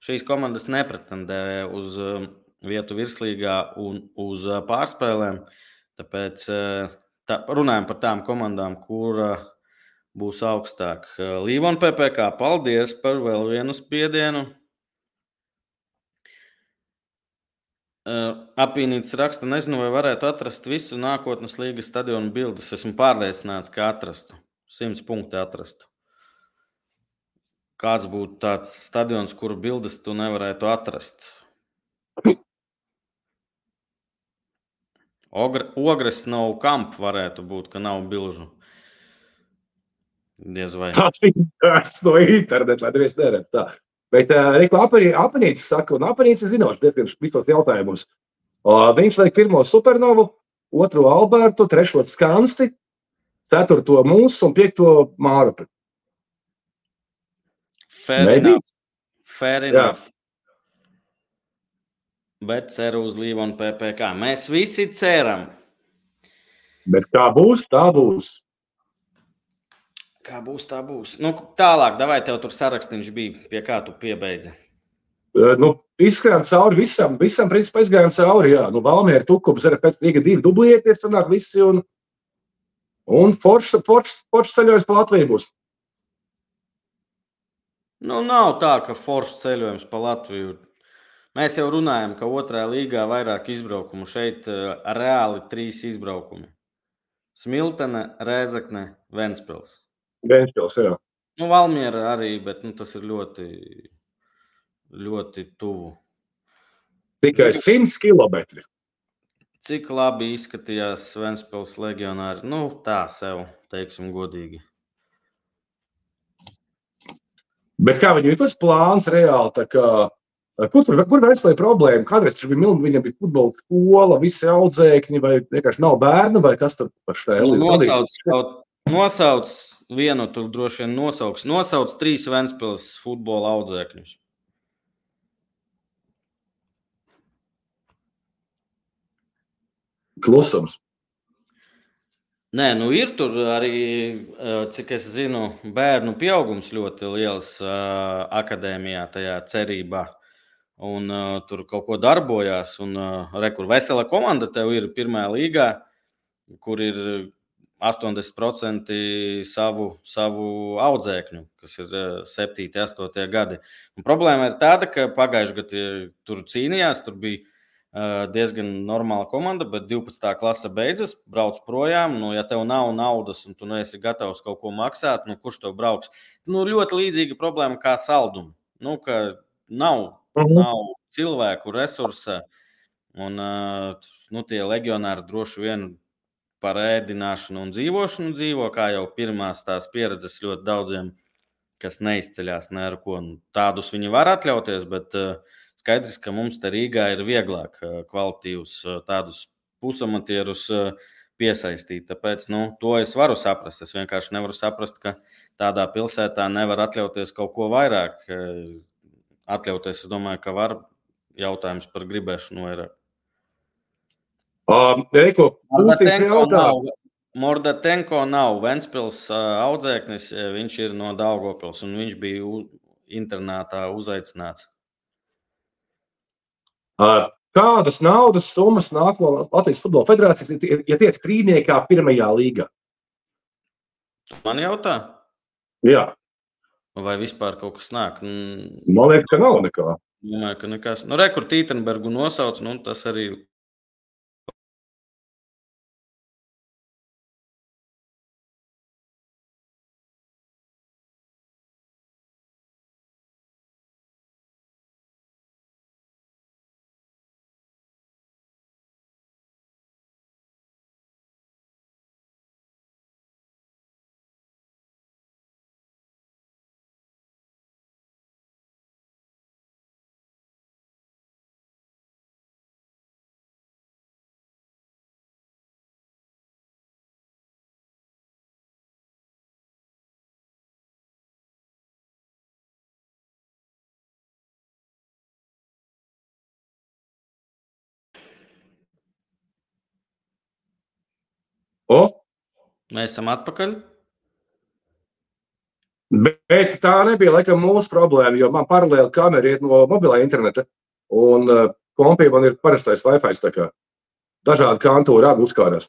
Šīs komandas nepretendē uz uh, vietu virslīgā un uz uh, pārspēlēm, tāpēc uh, tā, runājam par tām komandām, kur uh, būs augstāk. Līvon P P K, paldies par vēl vienu spiedienu. Apīnītis raksta, nezinu, vai varētu atrast visu nākotnes līgas stadionu bildes. Esmu pārliecināts, ka atrastu. Simts punkti atrastu. kāds būtu tāds stadions, kuru bildes tu nevarētu atrast? Ogre, ogres nav kamp varētu būt, ka nav bilžu. Diez vai. Tas no interneta, lai nevies neredz tā. Bet uh, Riku Apanītis saka, un Apanītis ir zinoši diezgan visos jautājumus. Uh, viņš liek pirmo Supernovu, otro Albertu, trešo Skansti, ceturto mūsu un piekto Mārupi. Fair Maybe? enough. Fair enough. Bet ceru uz Līvu un P P K. Mēs visi ceram. Bet kā būs, tā būs. Kā būs, tā būs. Nu, tālāk, davai tev tur sarakstīņš bija, pie kā tu piebeidzi. Uh, nu, izskrējām cauri visam, visam principā izgājām cauri, jā. Nu, Valmiera, Tukums, arī pēc Rīga divi dublieties, sanāk visi, un, un foršs forš, forš ceļojums pa Latviju būs. Nu, nav tā, ka foršs ceļojums pa Latviju. Mēs jau runājam, ka otrā līgā vairāk izbraukumu. Šeit uh, reāli trīs izbraukumi. Smiltene, Rēzekne, Ventspils. Ventspils, jā. Nu, Valmiera arī, bet nu, tas ir ļoti, ļoti tuvu. Tikai simts kilometri. Cik labi izskatījās Ventspils legionāri? Nu, tā sev, teiksim, godīgi. Bet kā viņam ir tas plāns reāli, tā kā, kur tur, kur Ventspilī problēma? Kādreiz tur bija mildi, viņam bija futbola skola, visi audzēkņi, vai vienkārši nav bērnu, vai kas tur par šēli? Nu, nosauc, kaut, nosauc vienu, tur droši vien nosauks. Nosauc trīs Ventspils futbola audzēkņus. Klusums. Nē, nu ir tur arī, cik es zinu, bērnu pieaugums ļoti liels uh, akadēmijā, tajā cerībā. Un uh, tur kaut ko darbojās. Un uh, re, kur vesela komanda tev ir pirmajā līgā, kur ir astoņdesmit procenti savu, savu audzēkņu, kas ir septīti, astotie gadi. Un problēma ir tāda, ka pagājuši gadu tur cīnījās, tur bija diezgan normāla komanda, bet divpadsmitā klase beidzas, brauc projām. Nu, ja tev nav naudas un tu neesi gatavs kaut ko maksāt, nu, kurš tev brauks? Nu, ļoti līdzīga problēma kā saldumu. Nu, ka nav, uh-huh. nav cilvēku resursa un nu, tie legionāri droši vien par ēdināšanu un dzīvošanu dzīvo, kā jau pirmās tās pieredzes ļoti daudziem, kas neizceļās ne ar ko. Tādus viņi var atļauties, bet skaidrs, ka mums te Rīgā ir vieglāk kvalitīvus tādus pusamatierus piesaistīt. Tāpēc nu, to es varu saprast. Es vienkārši nevaru saprast, ka tādā pilsētā nevar atļauties kaut ko vairāk. Atļauties, es domāju, ka var jautājums par gribēšanu vairāk. Um, Eiko, Mordatenko nav, Mordatenko nav Ventspils audzēknis, viņš ir no Daugavpils un viņš bija u, internātā uzaicināts. Uh, kādas naudas summas nāk no Latvijas futbola federācijas, ja tiec trīniekā pirmajā līgā? Man jautā? Jā. Vai vispār kaut kas nāk? Man liekas, ka nav nekā. Domāju, ka nekas. Nu, re, kur Tītenbergu nosauc, nu, tas arī... O? Mēs esam atpakaļ. Bet tā nebija laikam mūsu problēma, jo man paralēli kamera iet no mobilā interneta, un uh, kompī man ir parastais Wi-Fi, tā kā dažādi kantūri abi uzkārās.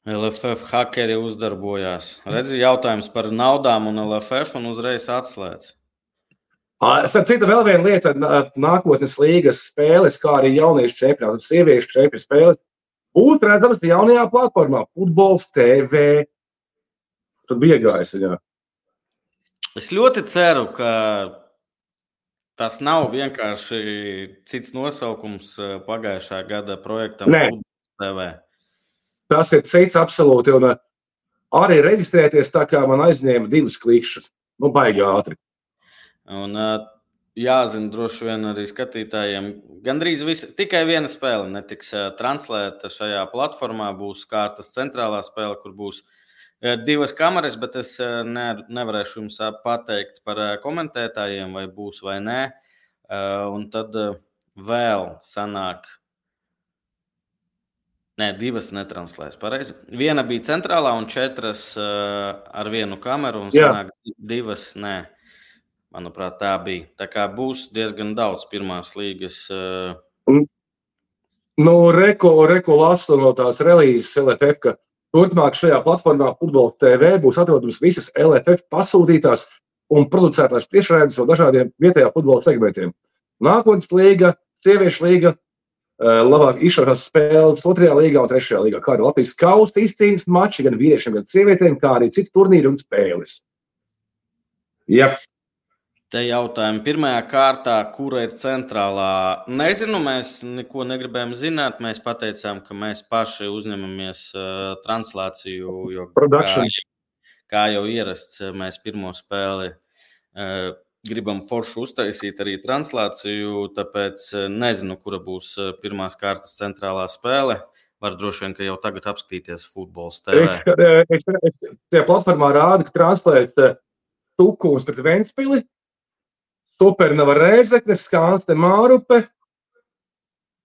L F F hakeri uzdarbojās. Redzi, jautājums par naudām un L F F un uzreiz atslēdz. Starp citu, vēl viena lieta, nākotnes līgas spēles, kā arī jauniešu čempionātu, sieviešu čempionātu spēles, būs redzamas jaunajā platformā, Futbols T V. Tad bija gājis, jā. Es ļoti ceru, ka tas nav vienkārši cits nosaukums pagājušā gada projektam Futbols T V. Tas ir cits absolūti. Un arī reģistrēties tā kā man aizņēma divas klikšķas. Nu, baigi ātri. Un jāzina droši vien arī skatītājiem, gandrīz visi, tikai viena spēle netiks translēta šajā platformā, būs kārtas centrālā spēle, kur būs divas kameras, bet es ne, nevarēšu jums pateikt par komentētājiem, vai būs vai nē. Un tad vēl sanāk, nē, divas netranslēs, pareizi. Viena bija centrālā un četras ar vienu kameru, un sanāk Jā. divas nē. Manuprāt, tā bija. Tā kā būs diezgan daudz pirmās līgas. Uh... Nu, reko, reko lasu no tās relīzes L F F, ka turpmāk šajā platformā Futbols T V būs atrodams visas L F F pasūtītās un producētās tiešraides no dažādiem vietējā futbola segmentiem. Nākotnes līga, sieviešu līga, labāk izšķirtās spēles otrajā līgā un trešajā līgā, kā arī Latvijas kausa izcīņas mači gan vīriešiem, gan sievietēm, kā arī citi turnīri un spēles. Jā. Te jautājumi pirmajā kārtā, kura ir centrālā. Nezinu, mēs neko negribējām zināt. Mēs pateicām, ka mēs paši uzņemamies uh, translāciju, jo kā, kā jau ierasts, mēs pirmo spēli uh, gribam foršu uztaisīt arī translāciju, tāpēc nezinu, kura būs pirmās kārtas centrālā spēle. Var droši vien, ka jau tagad apskatīties Futbols T V. Tajā platformā rāda, ka translēs Tukums pret Ventspili, Supernova Rēzekne, Skanste Mārupe,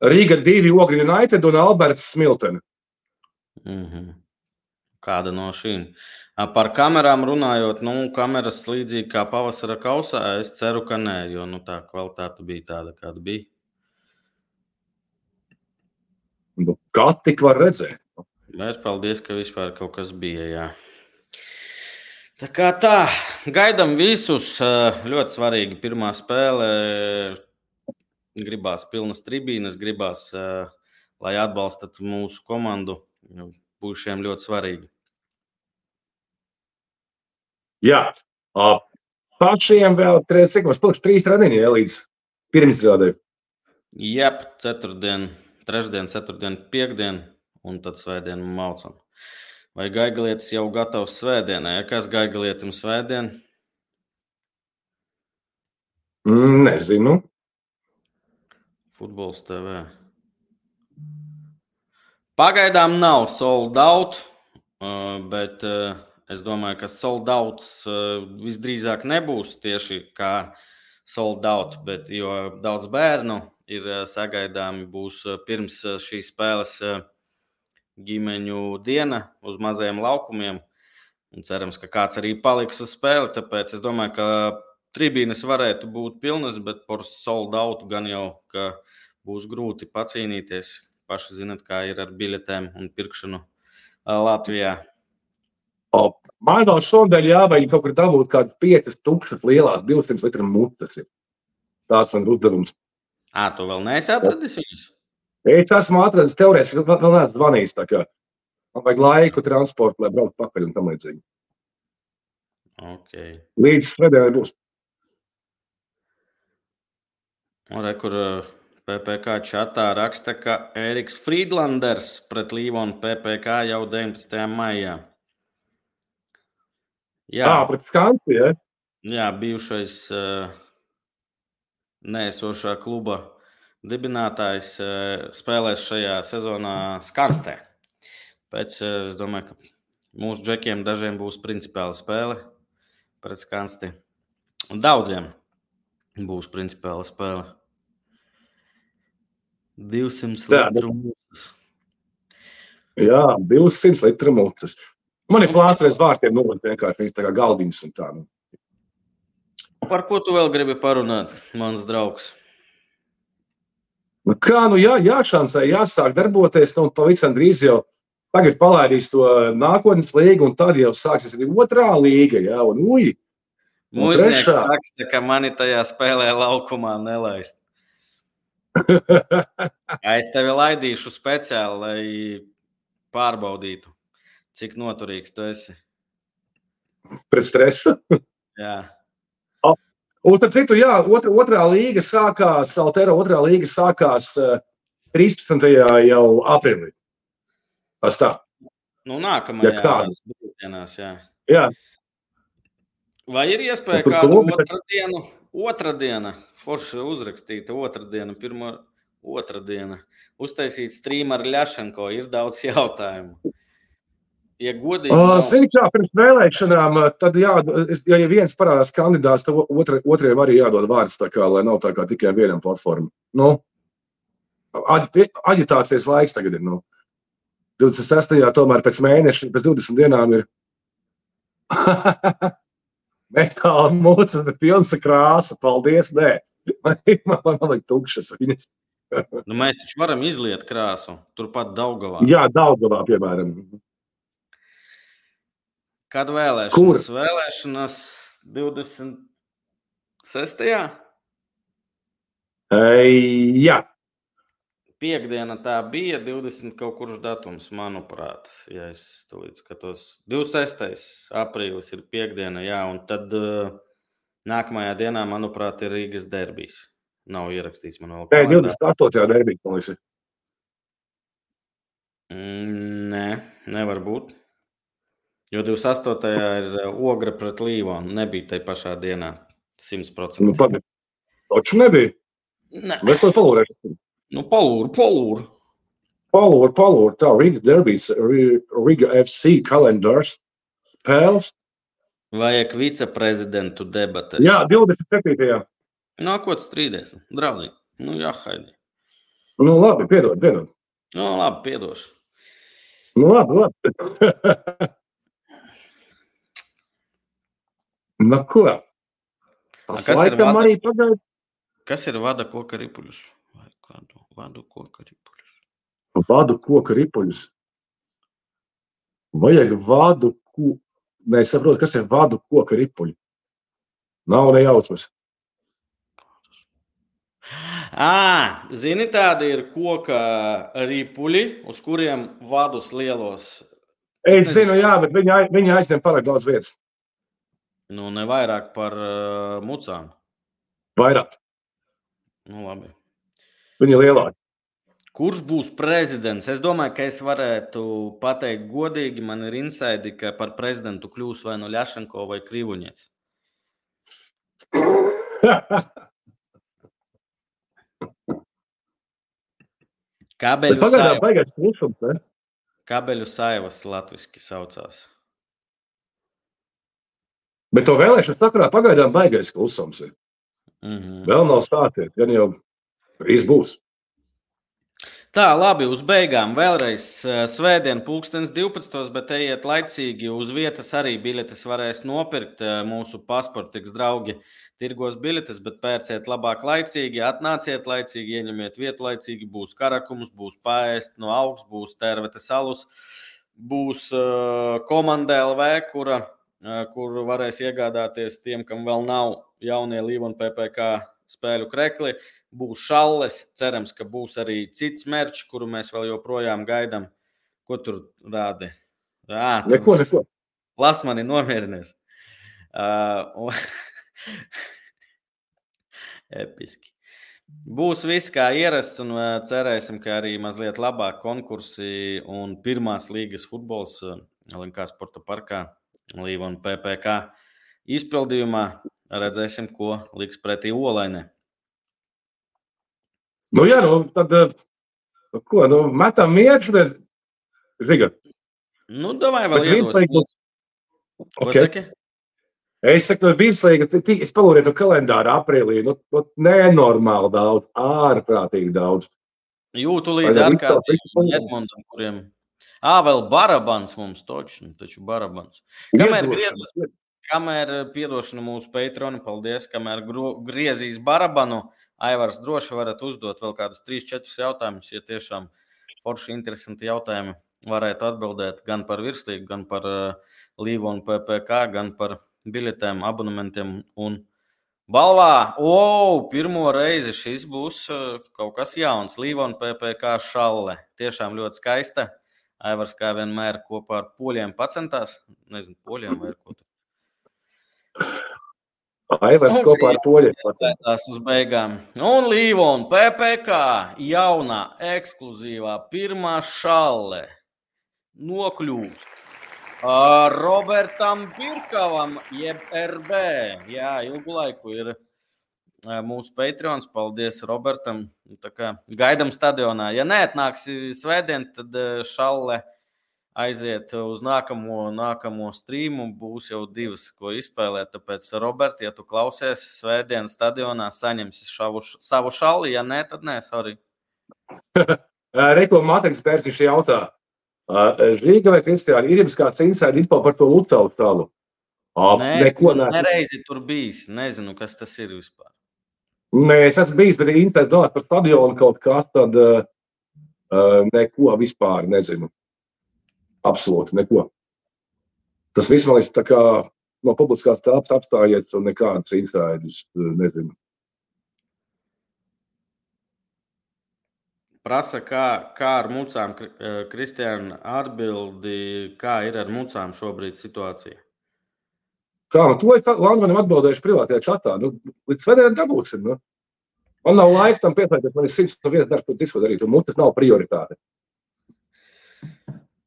Rīga divi Ogri United un Alberts Smiltene. Mm-hmm. Kāda no šīm? Par kamerām runājot, nu, kameras līdzīgi kā pavasara kausā, es ceru, ka nē, jo nu, tā kvalitāte bija tāda, kāda bija. Nu, kā tik var redzēt? Mēs paldies, ka vispār kaut kas bija, jā. Tā kā tā, gaidam visus, ļoti svarīgi pirmā spēle, gribās pilnas tribīnes, gribās, lai atbalstat mūsu komandu, būs šiem ļoti svarīgi. Jā, pašiem vēl, cik mums palikuši trīs treniņi, ja, līdz pirmizrādē. Jep, ceturtdien, trešdien, ceturtdien, piekdien un tad svētdien maucam. Vai Gaigalietis jau gatavs svētdienai? Ja kas Gaigalietim svētdien? Nezinu. Futbols T V. Pagaidām nav sold out, bet es domāju, ka sold outs visdrīzāk nebūs tieši kā sold out, bet jo daudz bērnu ir sagaidāmi, būs pirms šīs spēles ģimeņu diena uz mazajiem laukumiem. Un cerams, ka kāds arī paliks uz spēli, tāpēc es domāju, ka tribīnes varētu būt pilnas, bet par sold out gan jau, ka būs grūti pacīnīties. Paši zinat, kā ir ar biļetēm un pirkšanu Latvijā. O, man vēl šodien jāvajag kaut kur dabūt kādas piecas tukšas lielās divsimt litru mutas. Tāds man uzdevums. Ā, tu vēl neesi atradis viņus? Es esmu atradis teorētiski, vēl neesmu zvanījis, tā kā man vajag laiku transportu, lai braukt pakaļ un tam līdzīgi. Okay. Līdz svētdienai būs. Un re, kur P P K čatā raksta, ka Ēriks Frīdlanders pret Līvonu P P K jau deviņpadsmitajā maijā. Jā, Ā, pret Skansi, ja? Jā, bijušais uh, neesošā kluba dibinātājs spēlēs šajā sezonā Skanstē. Pēc, es domāju, ka mūsu džekiem dažiem būs principiāla spēle pret Skansti. Un daudziem būs principiāla spēle. divsimt litru mucas. Jā, divsimt litru mucas. Man ir plāstreiz vārtiem nolikt vienkārši viņas tā kā galdiņas un tā. Par ko tu vēl gribi parunāt, mans draugs? Nu kā, nu jā, jāšansē, jāsāk darboties, nu pavisam drīz jau tagad palaidīs to nākotnes līgu, un tad jau sāksies arī otrā līga, jā, un uji. Mūžnieks raksta, ka mani tajā spēlē laukumā nelaist. Es tevi laidīšu speciāli, lai pārbaudītu, cik noturīgs tu esi. Pret stresu? Jā. Un tad citu, jā, otra, otrā līga sākās, Altero otrā līga sākās uh, trīspadsmitajā jau aprīlī. Tas tā. Nu, nākamajā Ja kādas. dienās, jā. Jā. Vai ir iespēja Un tur kādu klubi- otru dienu, otra diena, forši uzrakstīta otra diena, pirmo otra diena, uztaisīt stream ar Ļašenko, ir daudz jautājumu. Ja godīgi Uh, nav, Zini, kā pirms vēlēšanām, uh, tad jā, es- ja ja viens parādās kandidāts, tad otra, otriem arī jādod vārds, tā kā, lai nav tā kā tikai vienam platformam. Nu, aģi, aģitācijas laiks tagad ir, nu. divdesmit sestajā tomēr pēc mēneša, pēc divdesmit dienām ir metāla mūcas, bet pilns ar krāsu. Paldies, nē. Man, man, man liek tukšas viņas. nu, mēs taču varam izliet krāsu, turpat Daugavā. Jā, Daugavā, piemēram. Kad vēlēšanas? Kur? Vēlēšanas divdesmit sestajā Ei, jā. Piektdiena tā bija, divdesmit kaut kurš datums, manuprāt, ja es tulīt skatos. divdesmit sestais aprīlis ir piektdiena, jā, un tad uh, nākamajā dienā, manuprāt, ir Rīgas derbijs. Nav ierakstīts man vēl Nē, kalendā. divdesmit astotajā derbī, man liekas. Mm, nē, nevar būt. Jo divdesmit astotajā ir uh, Ogra pret Līvonu, nebija tai pašā dienā, simt Nu, procenti. pagaid. Taču nebija. Nē, Mēs to palūrēsim. nu palūru, palūru. Palūr, palūr, tā Riga derbijas, Ri- Riga F C kalendārs. Pēls. Vajag viceprezidentu debates. Jā, divdesmit septītajā. Nākot strīdēs, draudzīgi. Nu, jā, haidi. Nu, labi, piedod, piedod. Nu, labi, piedošu. Nu, labi, labi. Nu, ko? Tas kas ir laikam vada? arī pagaid. Kas ir vada koka ripuļus? Vai kādu vadu koka ripuļus? Vadu koka ripuļus. Vajag vadu ko... Nē, es saprotu, kas ir vadu koka ripuļi. Nav nejausmas. Ā, zini, tādi ir koka ripuļi, uz kuriem vadus lielos. Es nezinu. zinu, jā, bet viņi, ai- viņi aizņem pārāk daudz vietas. Nu, ne vairāk par uh, mucām. Vairāk. Nu, labi. Viņi ir lielāki. Kurš būs prezidents? Es domāju, ka es varētu pateikt godīgi, man ir insaidi, ka par prezidentu kļūs vai nu Ļašenko vai Krivuņets. Kabeļu, Pagaidām saivas, baigās klusums, ne? kabeļu saivas latviski saucās. Bet to vēlēšanu sakarā pagaidām baigais klusums ir. Mhm. Vēl nav stāties, gan jau drīz būs. Tā, labi, uz beigām vēlreiz eh, svētdien pulkstens divpadsmitos, bet ejiet laicīgi uz vietas arī biļetes varēs nopirkt. eh, Mūsu pasportiks draugi tirgos biļetes, bet pērciet labāk laicīgi, atnāciet laicīgi, ieņemiet vietu laicīgi, būs karakums, būs paēst no augsts, būs tervete salus, būs uh, komanda L V, kura, uh, kur varēs iegādāties tiem, kam vēl nav jaunie Līvona P P K spēļu krekli. Būs šalles, cerams, ka būs arī cits merčs, kuru mēs vēl joprojām gaidām. Ko tur rādi? Ā, tu Neko, neko. las mani nomierinies. Uh, un- Episki. Būs viss kā ierasts, un uh, cerēsim, ka arī mazliet labāk konkursi un pirmās līgas futbols uh, L N K Sporta parkā Līvona P P K izpildījumā. Redzēsim, ko liks pretī Olainē. Nu, jā, nu, tad, eh, ko, nu, metam mieršu, bet, Riga, Nu, davai vēl bet iedosim. virslīgas, Ko ok. saki? Es saku, no virslīga, ti- ti- es palūrēju to kalendāru aprīlī, nu, nu, nenormāli daudz, ārprātīgi daudz. Jūtu līdz Vai ārkārtīgi visu to- Edmundam, kuriem... Ā, vēl Barabans mums točni, taču Barabans. Kamēr Iedošanas. griezīs, kamēr piedošana mūsu Patreon, paldies, kamēr gro- griezīs Barabanu, Aivars droši varat uzdot vēl kādus trīs četrus jautājumus, ja tiešām forši interesanti jautājumi varētu atbildēt gan par virslīgu, gan par uh, Līvona P P K, gan par biļetēm, abonementiem un balvā. O, pirmo reizi šis būs uh, kaut kas jauns. Līvona P P K šalle. Tiešām ļoti skaista. Aivars kā vienmēr kopā ar poļiem pacentās. Nezinu, poļiem vai ar ko. Aivars kopā ar Poļu. Tās uz beigām. Un Līvon, P P K, jaunā, ekskluzīvā, pirmā šalle nokļūst Robertam Pirkavam, jeb R B. Jā, ilgu laiku ir mūsu Patreons. Paldies Robertam. Tā kā gaidam stadionā. Ja neatnāks svētdien, tad šalle aiziet uz nākamo, nākamo streamu. Būs jau divas, ko izspēlēt. Tāpēc, Robert, ja tu klausies svētdien stadionā, saņemsi šavu, savu šalli. Ja nē, tad nē, sorry. Reko Matrix Pērsiši jautā. Rīga vai Kristiāni, ir jums kāds inside info par to Lucau salu? Nē, es nereizi tur bijis. Nezinu, kas tas ir vispār. Nē, es esmu bijis, bet internet domāt par stadionu kaut kā, tad uh, neko vispār nezinu. Absolūti neko. Tas viss man liekas tā kā no publiskās telpas apstājies un nekādas insides nezinu. Prasa, kā, kā ar mucām, Kristiāna, atbildi, kā ir ar mucām šobrīd situācija? Kā, nu to es Landmanim atbildējuši privātajā čatā. Nu, līdz svētdienam dabūsim, nu. Man nav laika tam pieslēgties, man ir simts viens darbs, ko visu darīt, un mucas nav prioritāte.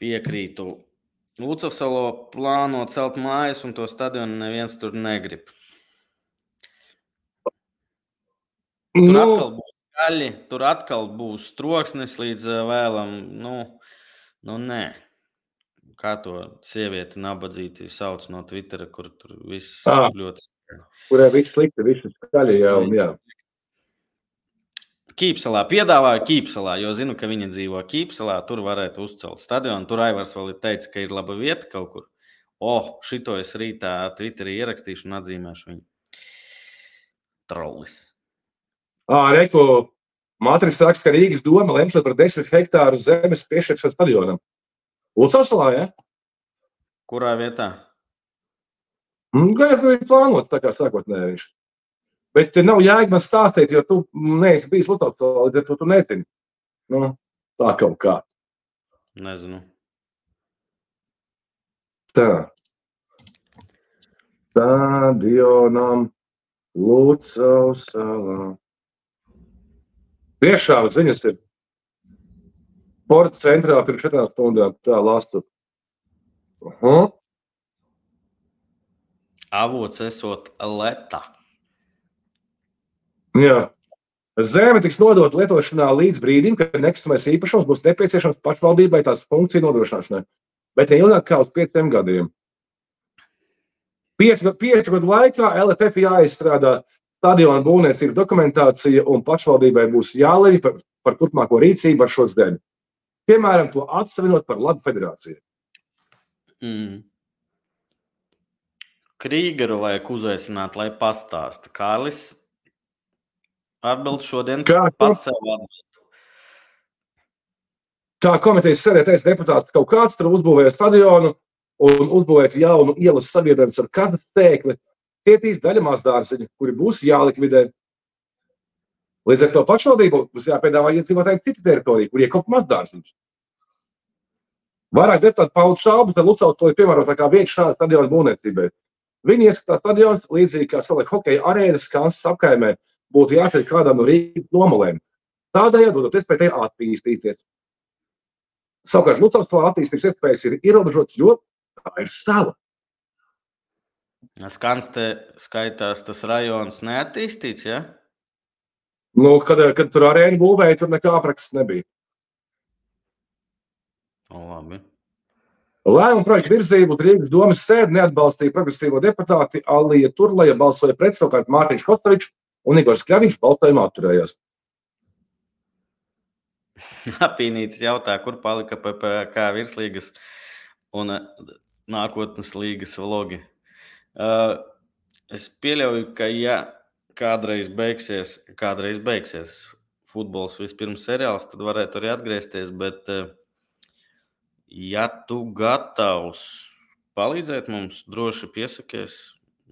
Piekrītu. Lucavsalo plāno celt mājas, un to stadionu neviens tur negrib. Tur Nu, atkal būs gaļi, tur atkal būs troksnis līdz vēlam. Nu, nu nē. Kā to sievieti nabadzīti sauc no Twittera, kur tur viss Ā. ļoti... Kurai viss slikti, viss skaļi, jā, un jā. Kīpsalā, piedāvāju Kīpsalā, jo zinu, ka viņa dzīvo Kīpsalā, tur varētu uzcelt stadionu. Tur Aivars vēl ir teicis, ka ir laba vieta kaut kur. O, šito es rītā Twitterī ierakstīšu un atzīmēšu viņu. Trollis. Ā, Reku, Matrix raksta, ka Rīgas doma lemšot par desmit hektāru zemes piešķiršanu stadionam. Lucavsalā, ja? Kurā vietā? Gan jau ir plānots tā kā sākotnēji viņš. Bet te nav jēga man stāstīt, jo tu neesi bijis Lucavsalā, līdz ar to tu nezini. Nu, tā kaut kā. Nezinu. Tā. Stadionam Lucavsalā. Priekšā ziņas ir. Sporta centrā pirms četrām stundām. Tā, lastu. Uh-huh. Avots esot Leta. Jā. Zeme tiks nodota lietošanā līdz brīdim, kad nekustamais īpašums būs nepieciešams pašvaldībai tās funkciju nodrošināšanai, bet ne ilgāk kā uz pieciem gadiem. Piecu, piecu gadu laikā L F F jāizstrādā stadiona būvniecības dokumentācija un pašvaldībai būs jālemj par, par turpmāko rīcību ar šo zemi. Piemēram, to atsavinot par labu federāciju. Mm. Krīgeru vajag uzaicināt, lai pastāsta. Kārlis atbild šodien Kā, pats sev atbild. Kā komitejas sēdētais deputāts kaut kāds tur uzbūvēja stadionu un uzbūvēt jaunu ielas savienojums ar katru sēkli, cietīs daļa mazdārziņu, kuri būs jālikvidē. Līdz ar to pašvaldību būs jāpiedāvā iedzīvotājiem citu teritoriju, kur iekop mazdārziņus. Vairāk deputāti paudu šaubas, tad Lucavsala ir piemērotākā vieta šāda stadiona būvniecībai. Viņi ieskatās stadions līdzīgi kā salika hokeja arēnas Kansas apkaimē būtu jāšķiet kādām no Rīgas nomalēm. Tādējādi dodot iespēju attīstīties. Savukārt Lucavsalā attīstības iespējas ir ierobežotas, jo tā ir sala. Skans te skaitās tas rajons neattīstīts, ja? Nu, kad, kad tur arēnu būvēja, tur nekā apraksts nebija. O, labi. Lēmumu projektu virzību Rīgas domas sēdi neatbalstīja progresīvo deputāti Alija Turlaja, balsoja pret, savukārt Mārtiņš Kostovičs un Igors Kļaviņš balsojumā atturējās. Apīnītis jautā, kur palika P P K virslīgas un nākotnes līgas vlogi. Uh, es pieļauju, ka ja kādreiz beigsies, kādreiz beigsies futbols vispirms seriāls, tad varētu arī atgriezties, bet uh, ja tu gatavs palīdzēt mums, droši piesakies,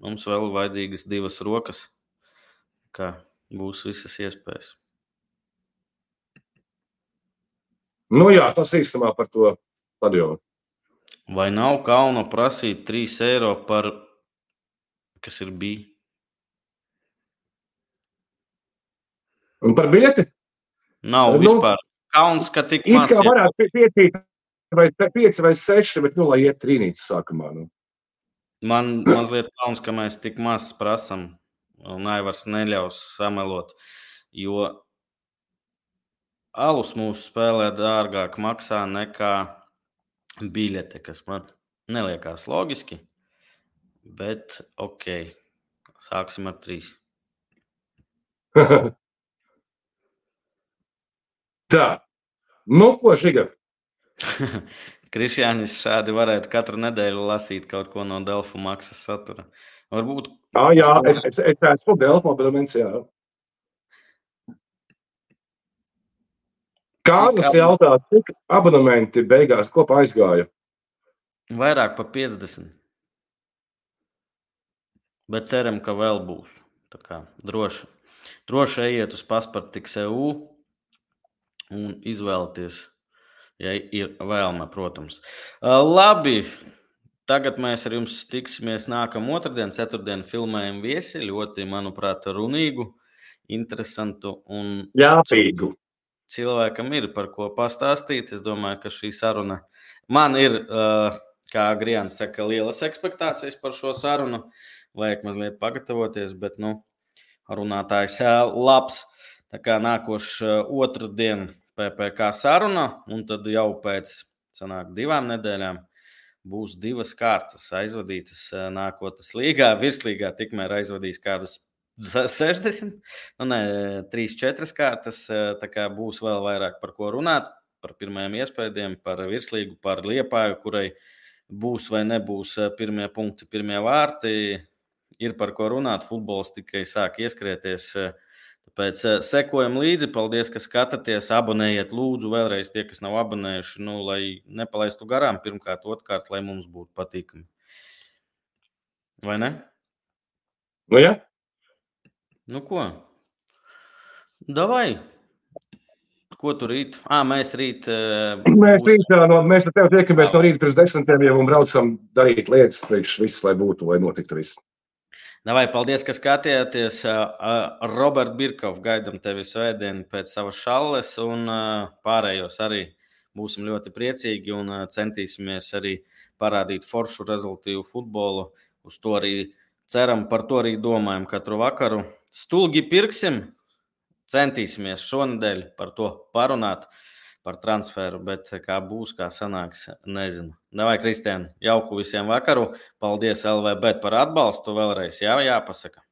mums vēl vajadzīgas divas rokas, kā būs visas iespējas. Nu jā, tas īstumā par to stadionu. Vai nav kauna prasīt trīs eiro par, kas ir bija? Un par biļeti? Nav Nu, vispār. Kauns, ka tik it maz. kā varētu piecīt vai pieci vai seši, bet nu, lai iet trīnītas sākumā. Nu. Man mazliet kauns, ka mēs tik maz prasam, un Aivars neļaus samelot, jo alus mūsu spēlē dārgāk maksā nekā biļete, kas man neliekās logiski, bet ok, sāksim ar trīs. Tā, nu ko, Žiga? Krišjānis šādi varētu katru nedēļu lasīt kaut ko no Delfu maksas satura. Varbūt... Ah, jā, es, es, es esmu Delfu abonents, jā. Kārlis jautā, cik abonementi beigās kopā aizgāja? Vairāk pa piecdesmit. Bet ceram, ka vēl būs. Tā kā droši. Droši ejiet uz paspartiks punkt e u un izvēlieties, ja ir vēlme, protams. Labi, tagad mēs ar jums tiksimies nākam otrdien, ceturtdien filmējam viesi, ļoti, manuprāt, runīgu, interesantu un jāpīgu. Cilvēkam ir par ko pastāstīt. Es domāju, ka šī saruna man ir, kā Grijāns saka, lielas ekspektācijas par šo sarunu. Vajag mazliet pagatavoties, bet, nu, runātājs labs. Tā kā nākošs otrdien P P K saruna, un tad jau pēc sanāk divām nedēļām būs divas kārtas aizvadītas nākotnes līgā. Virslīgā tikmēr aizvadīs kādus sešdesmit, nu ne, trīs, četras kārtas, tā kā būs vēl vairāk par ko runāt, par pirmajiem iespējiem, par virslīgu, par Liepāju, kurai būs vai nebūs pirmie punkti, pirmie vārti, ir par ko runāt, futbols tikai sāk ieskrieties, tāpēc sekojam līdzi, paldies, ka skatāties, abonējiet lūdzu vēlreiz tie, kas nav abonējuši, nu, lai nepalaistu garām, pirmkārt, otrkārt, lai mums būtu patīkami. Vai ne? Nu, jā. Nu, ko? Davai. Ko tu rīt? Ā, mēs rīt... Uh, mēs būs... rīt, no, mēs ar tev tiekamies no rīta pirms desmitiem jau un braucam darīt lietas priekš viss, lai būtu, lai notiktu viss. Davai, paldies, ka skatījāties. Uh, Robert Birkov, gaidam tevi svētdienu pēc savas šalles un uh, pārējos arī būsim ļoti priecīgi un uh, centīsimies arī parādīt foršu rezultīvu futbolu. Uz to arī ceram, par to arī domājam katru vakaru. Stulgi pirksim, centīsimies šonedēļ par to parunāt, par transferu, bet kā būs, kā sanāks, nezinu. Davai, Kristiāni, jauku visiem vakaru. Paldies L V Bet par atbalstu vēlreiz. Jā, jāpasaka.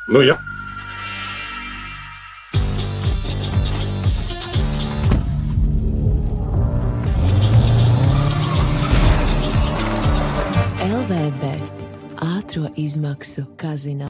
Nu, jā. L V Bet ātro izmaksu kazino.